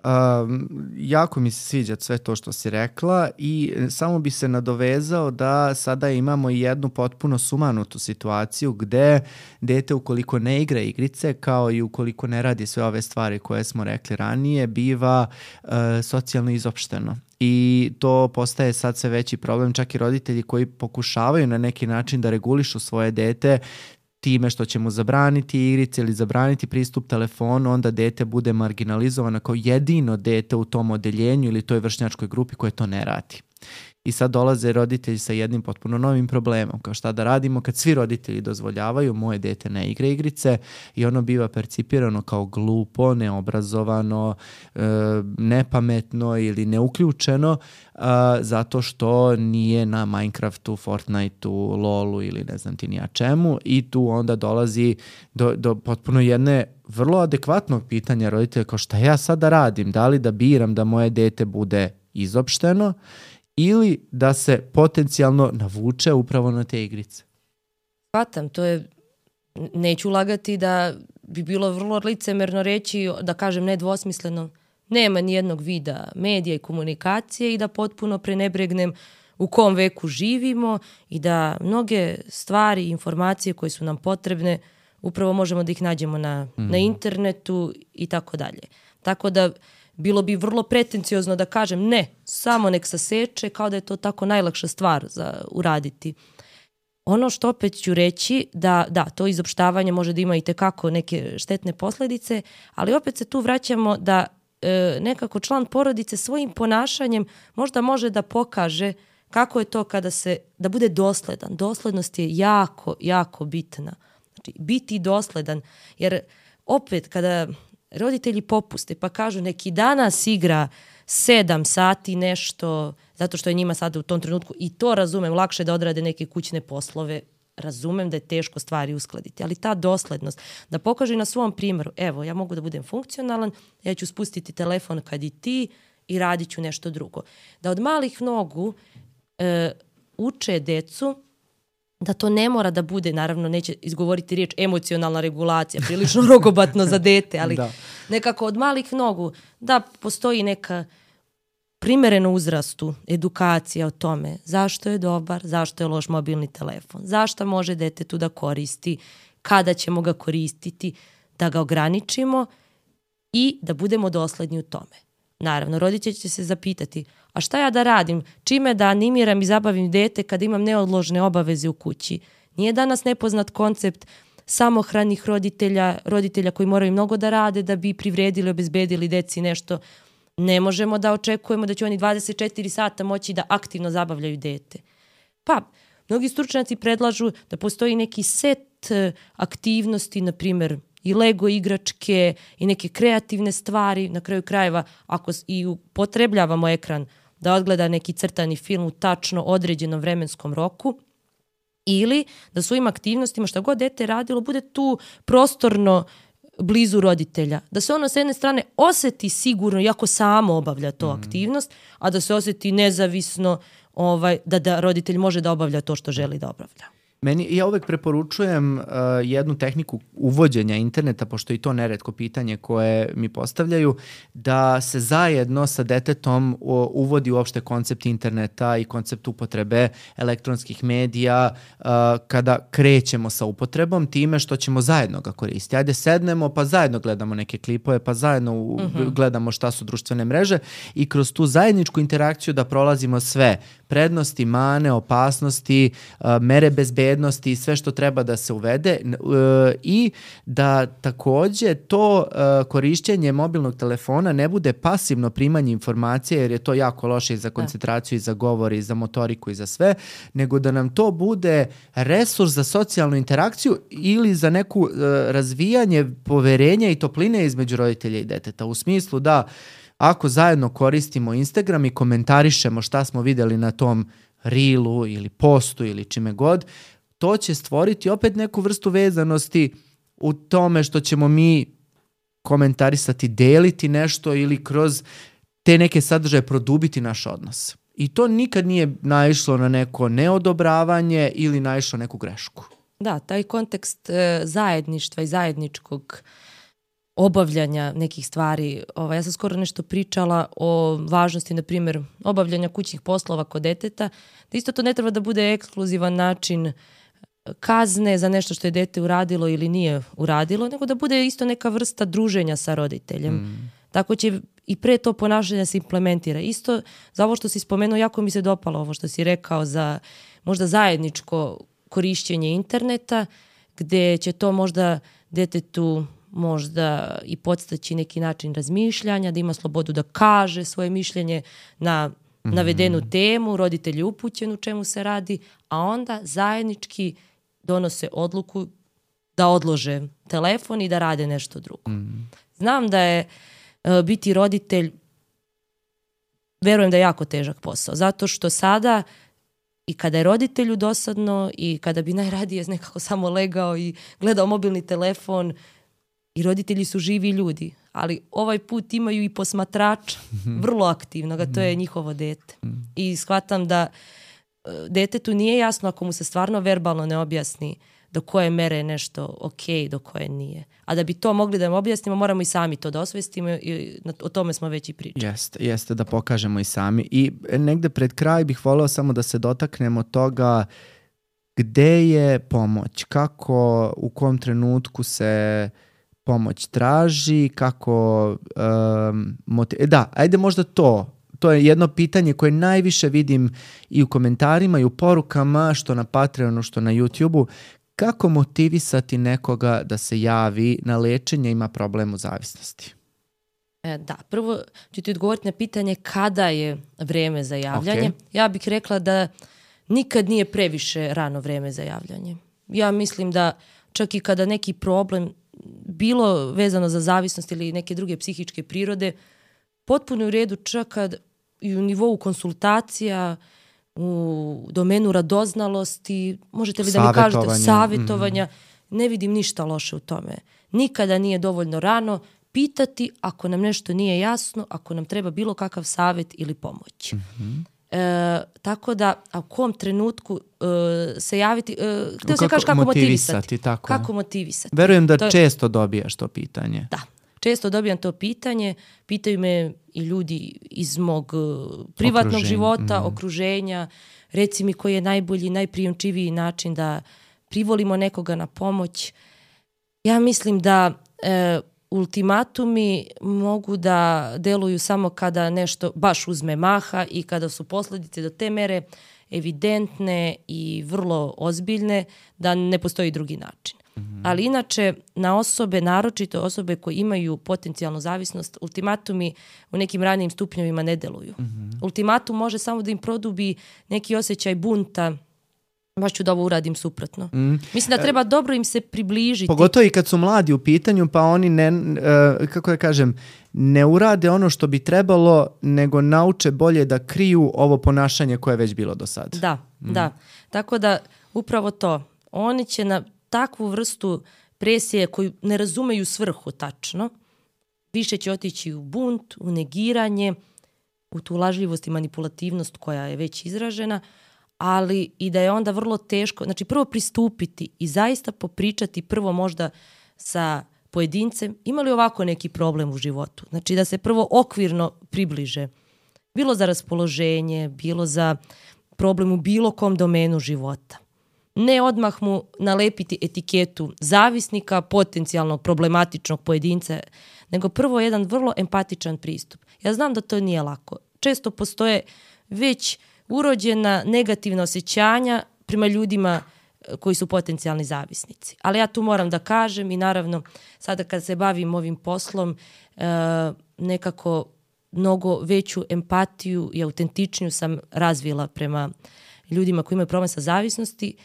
Um, jako mi se sviđa sve to što si rekla i samo bi se nadovezao da sada imamo jednu potpuno sumanutu situaciju gde dete ukoliko ne igra igrice kao i ukoliko ne radi sve ove stvari koje smo rekli ranije biva uh, socijalno izopšteno. I to postaje sad sve veći problem, čak i roditelji koji pokušavaju na neki način da regulišu svoje dete time što će mu zabraniti igrice ili zabraniti pristup telefonu, onda dete bude marginalizovano kao jedino dete u tom odeljenju ili toj vršnjačkoj grupi koje to ne radi. I sad dolaze roditelji sa jednim potpuno novim problemom, kao šta da radimo kad svi roditelji dozvoljavaju, moje dete ne igra igrice i ono biva percipirano kao glupo, neobrazovano, e, nepametno ili neuključeno e, zato što nije na Minecraftu, Fortniteu, LoLu ili ne znam ti ni ja čemu i tu onda dolazi do, do potpuno jedne vrlo adekvatnog pitanja roditelja kao šta ja sad da radim, da li da biram da moje dete bude izopšteno ili da se potencijalno navuče upravo na te igrice. Shvatam, to je, neću lagati da bi bilo vrlo licemerno reći, da kažem nedvosmisleno, nema nijednog vida medija i komunikacije i da potpuno prenebregnem u kom veku živimo i da mnoge stvari i informacije koje su nam potrebne upravo možemo da ih nađemo na, mm. na internetu i tako dalje. Tako da bilo bi vrlo pretenciozno da kažem ne, samo nek saseče, kao da je to tako najlakša stvar za uraditi. Ono što opet ću reći, da, da, to izopštavanje može da ima i tekako neke štetne posledice, ali opet se tu vraćamo da e, nekako član porodice svojim ponašanjem možda može da pokaže kako je to kada se, da bude dosledan. Doslednost je jako, jako bitna. Znači, biti dosledan, jer opet kada roditelji popuste pa kažu neki danas igra sedam sati nešto, zato što je njima sada u tom trenutku, i to razumem, lakše da odrade neke kućne poslove, razumem da je teško stvari uskladiti, ali ta doslednost, da pokaže na svom primjeru, evo, ja mogu da budem funkcionalan, ja ću spustiti telefon kad i ti i radit ću nešto drugo. Da od malih nogu e, uče decu da to ne mora da bude, naravno neće izgovoriti riječ emocionalna regulacija, prilično rogobatno za dete, ali da. Nekako od malih nogu da postoji neka primjereno uzrastu edukacija o tome zašto je dobar, zašto je loš mobilni telefon, zašto može dete tu da koristi, kada ćemo ga koristiti, da ga ograničimo i da budemo dosledni u tome. Naravno, roditelj će se zapitati, a šta ja da radim, čime da animiram i zabavim dete kad imam neodložne obaveze u kući? Nije danas nepoznat koncept samohranih roditelja, roditelja koji moraju mnogo da rade da bi privredili, obezbedili deci nešto. Ne možemo da očekujemo da će oni dvadeset četiri sata moći da aktivno zabavljaju dete. Pa, mnogi stručnjaci predlažu da postoji neki set aktivnosti, na primjer, i Lego igračke i neke kreativne stvari, na kraju krajeva, ako i upotrebljavamo ekran da odgleda neki crtani film u tačno određenom vremenskom roku, ili da svojim aktivnostima šta god dete radilo bude tu prostorno blizu roditelja. Da se ono s jedne strane osjeti sigurno, iako samo obavlja to mm. aktivnost, a da se osjeti nezavisno, ovaj, da, da roditelj može da obavlja to što želi da obavlja. Meni, ja uvek preporučujem uh, jednu tehniku uvođenja interneta, pošto je to neretko pitanje koje mi postavljaju, da se zajedno sa detetom uh, uvodi uopšte koncept interneta i koncept upotrebe elektronskih medija uh, kada krećemo sa upotrebom, time što ćemo zajedno ga koristiti. Ajde sednemo pa zajedno gledamo neke klipove, pa zajedno u, uh-huh. gledamo šta su društvene mreže i kroz tu zajedničku interakciju da prolazimo sve prednosti, mane, opasnosti, uh, mere bezbednosti i sve što treba da se uvede uh, i da takođe to uh, korišćenje mobilnog telefona ne bude pasivno primanje informacije, jer je to jako loše i za koncentraciju i za govor i za motoriku i za sve, nego da nam to bude resurs za socijalnu interakciju ili za neku uh, razvijanje poverenja i topline između roditelja i deteta, u smislu da ako zajedno koristimo Instagram i komentarišemo šta smo vidjeli na tom reelu ili postu ili čime god, to će stvoriti opet neku vrstu vezanosti u tome što ćemo mi komentarisati, deliti nešto ili kroz te neke sadržaje produbiti naš odnos. I to nikad nije naišlo na neko neodobravanje ili naišlo na neku grešku. Da, taj kontekst e, zajedništva i zajedničkog obavljanja nekih stvari. Ovaj, ja sam skoro nešto pričala o važnosti, na primjer, obavljanja kućnih poslova kod deteta. Da isto to ne treba da bude ekskluzivan način kazne za nešto što je dete uradilo ili nije uradilo, nego da bude isto neka vrsta druženja sa roditeljem. Mm. Tako će i pre to ponašanje se implementira. Isto za ovo što si spomenuo, jako mi se dopalo ovo što si rekao za možda zajedničko korišćenje interneta, gde će to možda detetu možda i podstaći neki način razmišljanja, da ima slobodu da kaže svoje mišljenje na mm-hmm. navedenu temu, roditelj je upućen u čemu se radi, a onda zajednički donose odluku da odlože telefon i da rade nešto drugo. Mm. Znam da je uh, biti roditelj, verujem da je jako težak posao, zato što sada i kada je roditelju dosadno i kada bi najradije nekako samo legao i gledao mobilni telefon, i roditelji su živi ljudi, ali ovaj put imaju i posmatrača, vrlo aktivnog, a to je njihovo dete. I shvatam da detetu nije jasno ako mu se stvarno verbalno ne objasni do koje mere je nešto ok, do koje nije. A da bi to mogli da im objasnimo, moramo i sami to da osvestimo i o tome smo već i pričali. Jeste, jeste da pokažemo i sami. I negde pred kraj bih voleo samo da se dotaknemo toga gde je pomoć, kako, u kom trenutku se pomoć traži, kako um, motiv... Da, ajde možda to. To je jedno pitanje koje najviše vidim i u komentarima i u porukama, što na Patreonu, što na YouTubeu. Kako motivisati nekoga da se javi na lečenje, ima problem u zavisnosti? E, da, prvo ću ti odgovoriti na pitanje kada je vreme za javljanje. Okay. Ja bih rekla da nikad nije previše rano vreme za javljanje. Ja mislim da čak i kada neki problem, bilo vezano za zavisnost ili neke druge psihičke prirode, potpuno u redu čak kad i u nivou konsultacija, u domenu radoznalosti, možete li da mi kažete savjetovanja, mm-hmm. ne vidim ništa loše u tome. Nikada nije dovoljno rano pitati ako nam nešto nije jasno, ako nam treba bilo kakav savjet ili pomoć. Mm-hmm. E, tako da, a u kom trenutku e, se javiti, e, htio se kaži kako motivisati. motivisati tako. Kako motivisati. Verujem da to često dobijaš to pitanje. Da, često dobijam to pitanje. Pitaju me i ljudi iz mog privatnog Okruženje. života, mm. okruženja. Reci mi koji je najbolji, najprijemčiviji način da privolimo nekoga na pomoć. Ja mislim da e, ultimatumi mogu da deluju samo kada nešto baš uzme maha i kada su posljedice do te mere evidentne i vrlo ozbiljne da ne postoji drugi način. Mm-hmm. Ali inače, na osobe, naročito osobe koje imaju potencijalnu zavisnost, ultimatumi u nekim ranijim stupnjevima ne deluju. Mm-hmm. Ultimatum može samo da im produbi neki osjećaj bunta, baš ću da ovo uradim suprotno. Mm. Mislim da treba dobro im se približiti. Pogotovo i kad su mladi u pitanju, pa oni ne, uh, kako da kažem, ne urade ono što bi trebalo, nego nauče bolje da kriju ovo ponašanje koje je već bilo do sad. Da, mm. da. Tako da upravo to. Oni će na takvu vrstu presije koju ne razumeju svrhu tačno, više će otići u bunt, u negiranje, u tu lažljivost i manipulativnost koja je već izražena, ali i da je onda vrlo teško, znači prvo pristupiti i zaista popričati prvo možda sa pojedincem, ima li ovako neki problem u životu, znači da se prvo okvirno približe, bilo za raspoloženje, bilo za problem u bilo kom domenu života. Ne odmah mu nalepiti etiketu zavisnika, potencijalnog problematičnog pojedinca, nego prvo jedan vrlo empatičan pristup. Ja znam da to nije lako. Često postoje već urođena negativna osjećanja prema ljudima koji su potencijalni zavisnici. Ali ja tu moram da kažem i naravno sada kad se bavim ovim poslom nekako mnogo veću empatiju i autentičniju sam razvila prema ljudima koji imaju problem sa zavisnosti.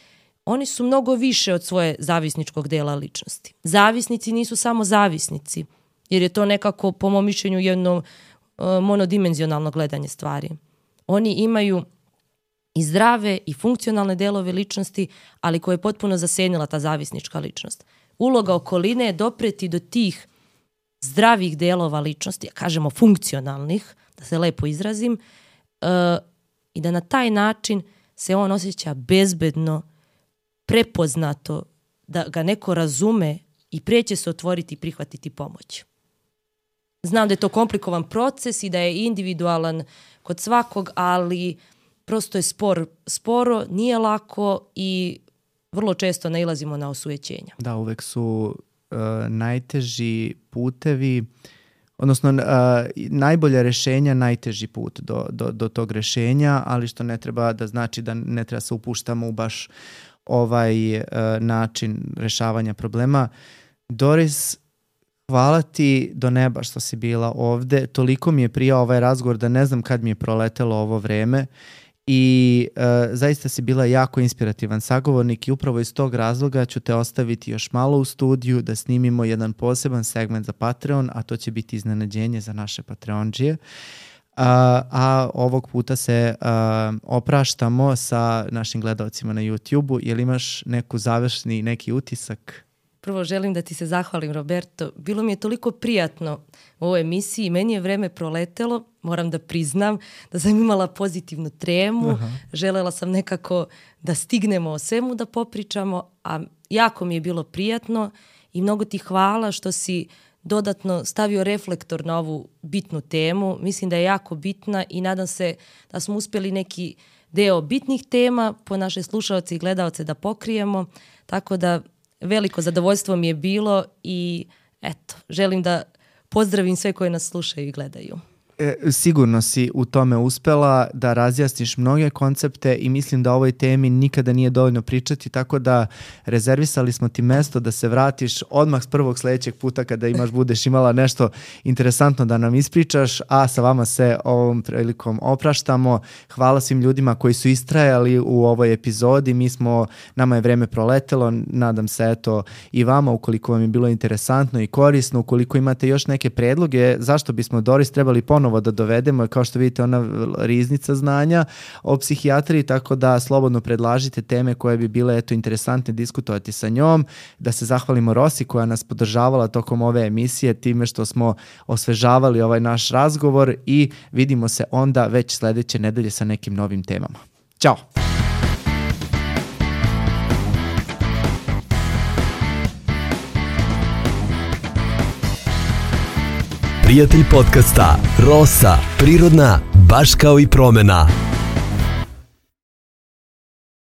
Oni su mnogo više od svoje zavisničkog dela ličnosti. Zavisnici nisu samo zavisnici, jer je to nekako, po mom mišljenju, jedno uh, monodimenzionalno gledanje stvari. Oni imaju i zdrave i funkcionalne delove ličnosti, ali koje je potpuno zasenila ta zavisnička ličnost. Uloga okoline je dopreti do tih zdravih delova ličnosti, kažemo funkcionalnih, da se lepo izrazim, uh, i da na taj način se on osjeća bezbedno, prepoznato, da ga neko razume i prije će se otvoriti i prihvatiti pomoć. Znam da je to komplikovan proces i da je individualan kod svakog, ali prosto je spor, sporo, nije lako i vrlo često nailazimo na osujećenja. Da, uvek su uh, najteži putevi, odnosno uh, najbolje rešenja, najteži put do, do, do tog rešenja, ali što ne treba da znači da ne treba se upuštamo u baš ovaj uh, način rešavanja problema. Doris, hvala ti do neba što si bila ovde. Toliko mi je prijao ovaj razgovor da ne znam kad mi je proletelo ovo vreme i uh, zaista si bila jako inspirativan sagovornik i upravo iz tog razloga ću te ostaviti još malo u studiju da snimimo jedan poseban segment za Patreon, a to će biti iznenađenje za naše Patreondžije. Uh, a ovog puta se uh, opraštamo sa našim gledalcima na YouTubeu. Jel imaš neku završni, neki utisak? Prvo želim da ti se zahvalim, Roberto. Bilo mi je toliko prijatno u ovoj emisiji. Meni je vreme proletelo, moram da priznam, da sam imala pozitivnu tremu. Aha. Želela sam nekako da stignemo o svemu da popričamo, a jako mi je bilo prijatno i mnogo ti hvala što si dodatno stavio reflektor na ovu bitnu temu. Mislim da je jako bitna i nadam se da smo uspjeli neki deo bitnih tema po naše slušalce i gledalce da pokrijemo. Tako da veliko zadovoljstvo mi je bilo i eto, želim da pozdravim sve koje nas slušaju i gledaju. E, sigurno si u tome uspela da razjasniš mnoge koncepte i mislim da o ovoj temi nikada nije dovoljno pričati, tako da rezervisali smo ti mesto da se vratiš odmah s prvog sledećeg puta kada imaš, budeš imala nešto interesantno da nam ispričaš, a sa vama se ovom prilikom opraštamo. Hvala svim ljudima koji su istrajali u ovoj epizodi, mi smo, nama je vreme proletelo, nadam se eto i vama, ukoliko vam je bilo interesantno i korisno, ukoliko imate još neke predloge, zašto bismo Doris trebali ponovno da dovedemo, kao što vidite ona riznica znanja o psihijatriji, tako da slobodno predlažite teme koje bi bile eto interesantne diskutovati sa njom, da se zahvalimo Rosi koja nas podržavala tokom ove emisije time što smo osvežavali ovaj naš razgovor i vidimo se onda već sledeće nedelje sa nekim novim temama. Ćao! Prijatelj podcasta Rosa, prirodna, baš kao i promena.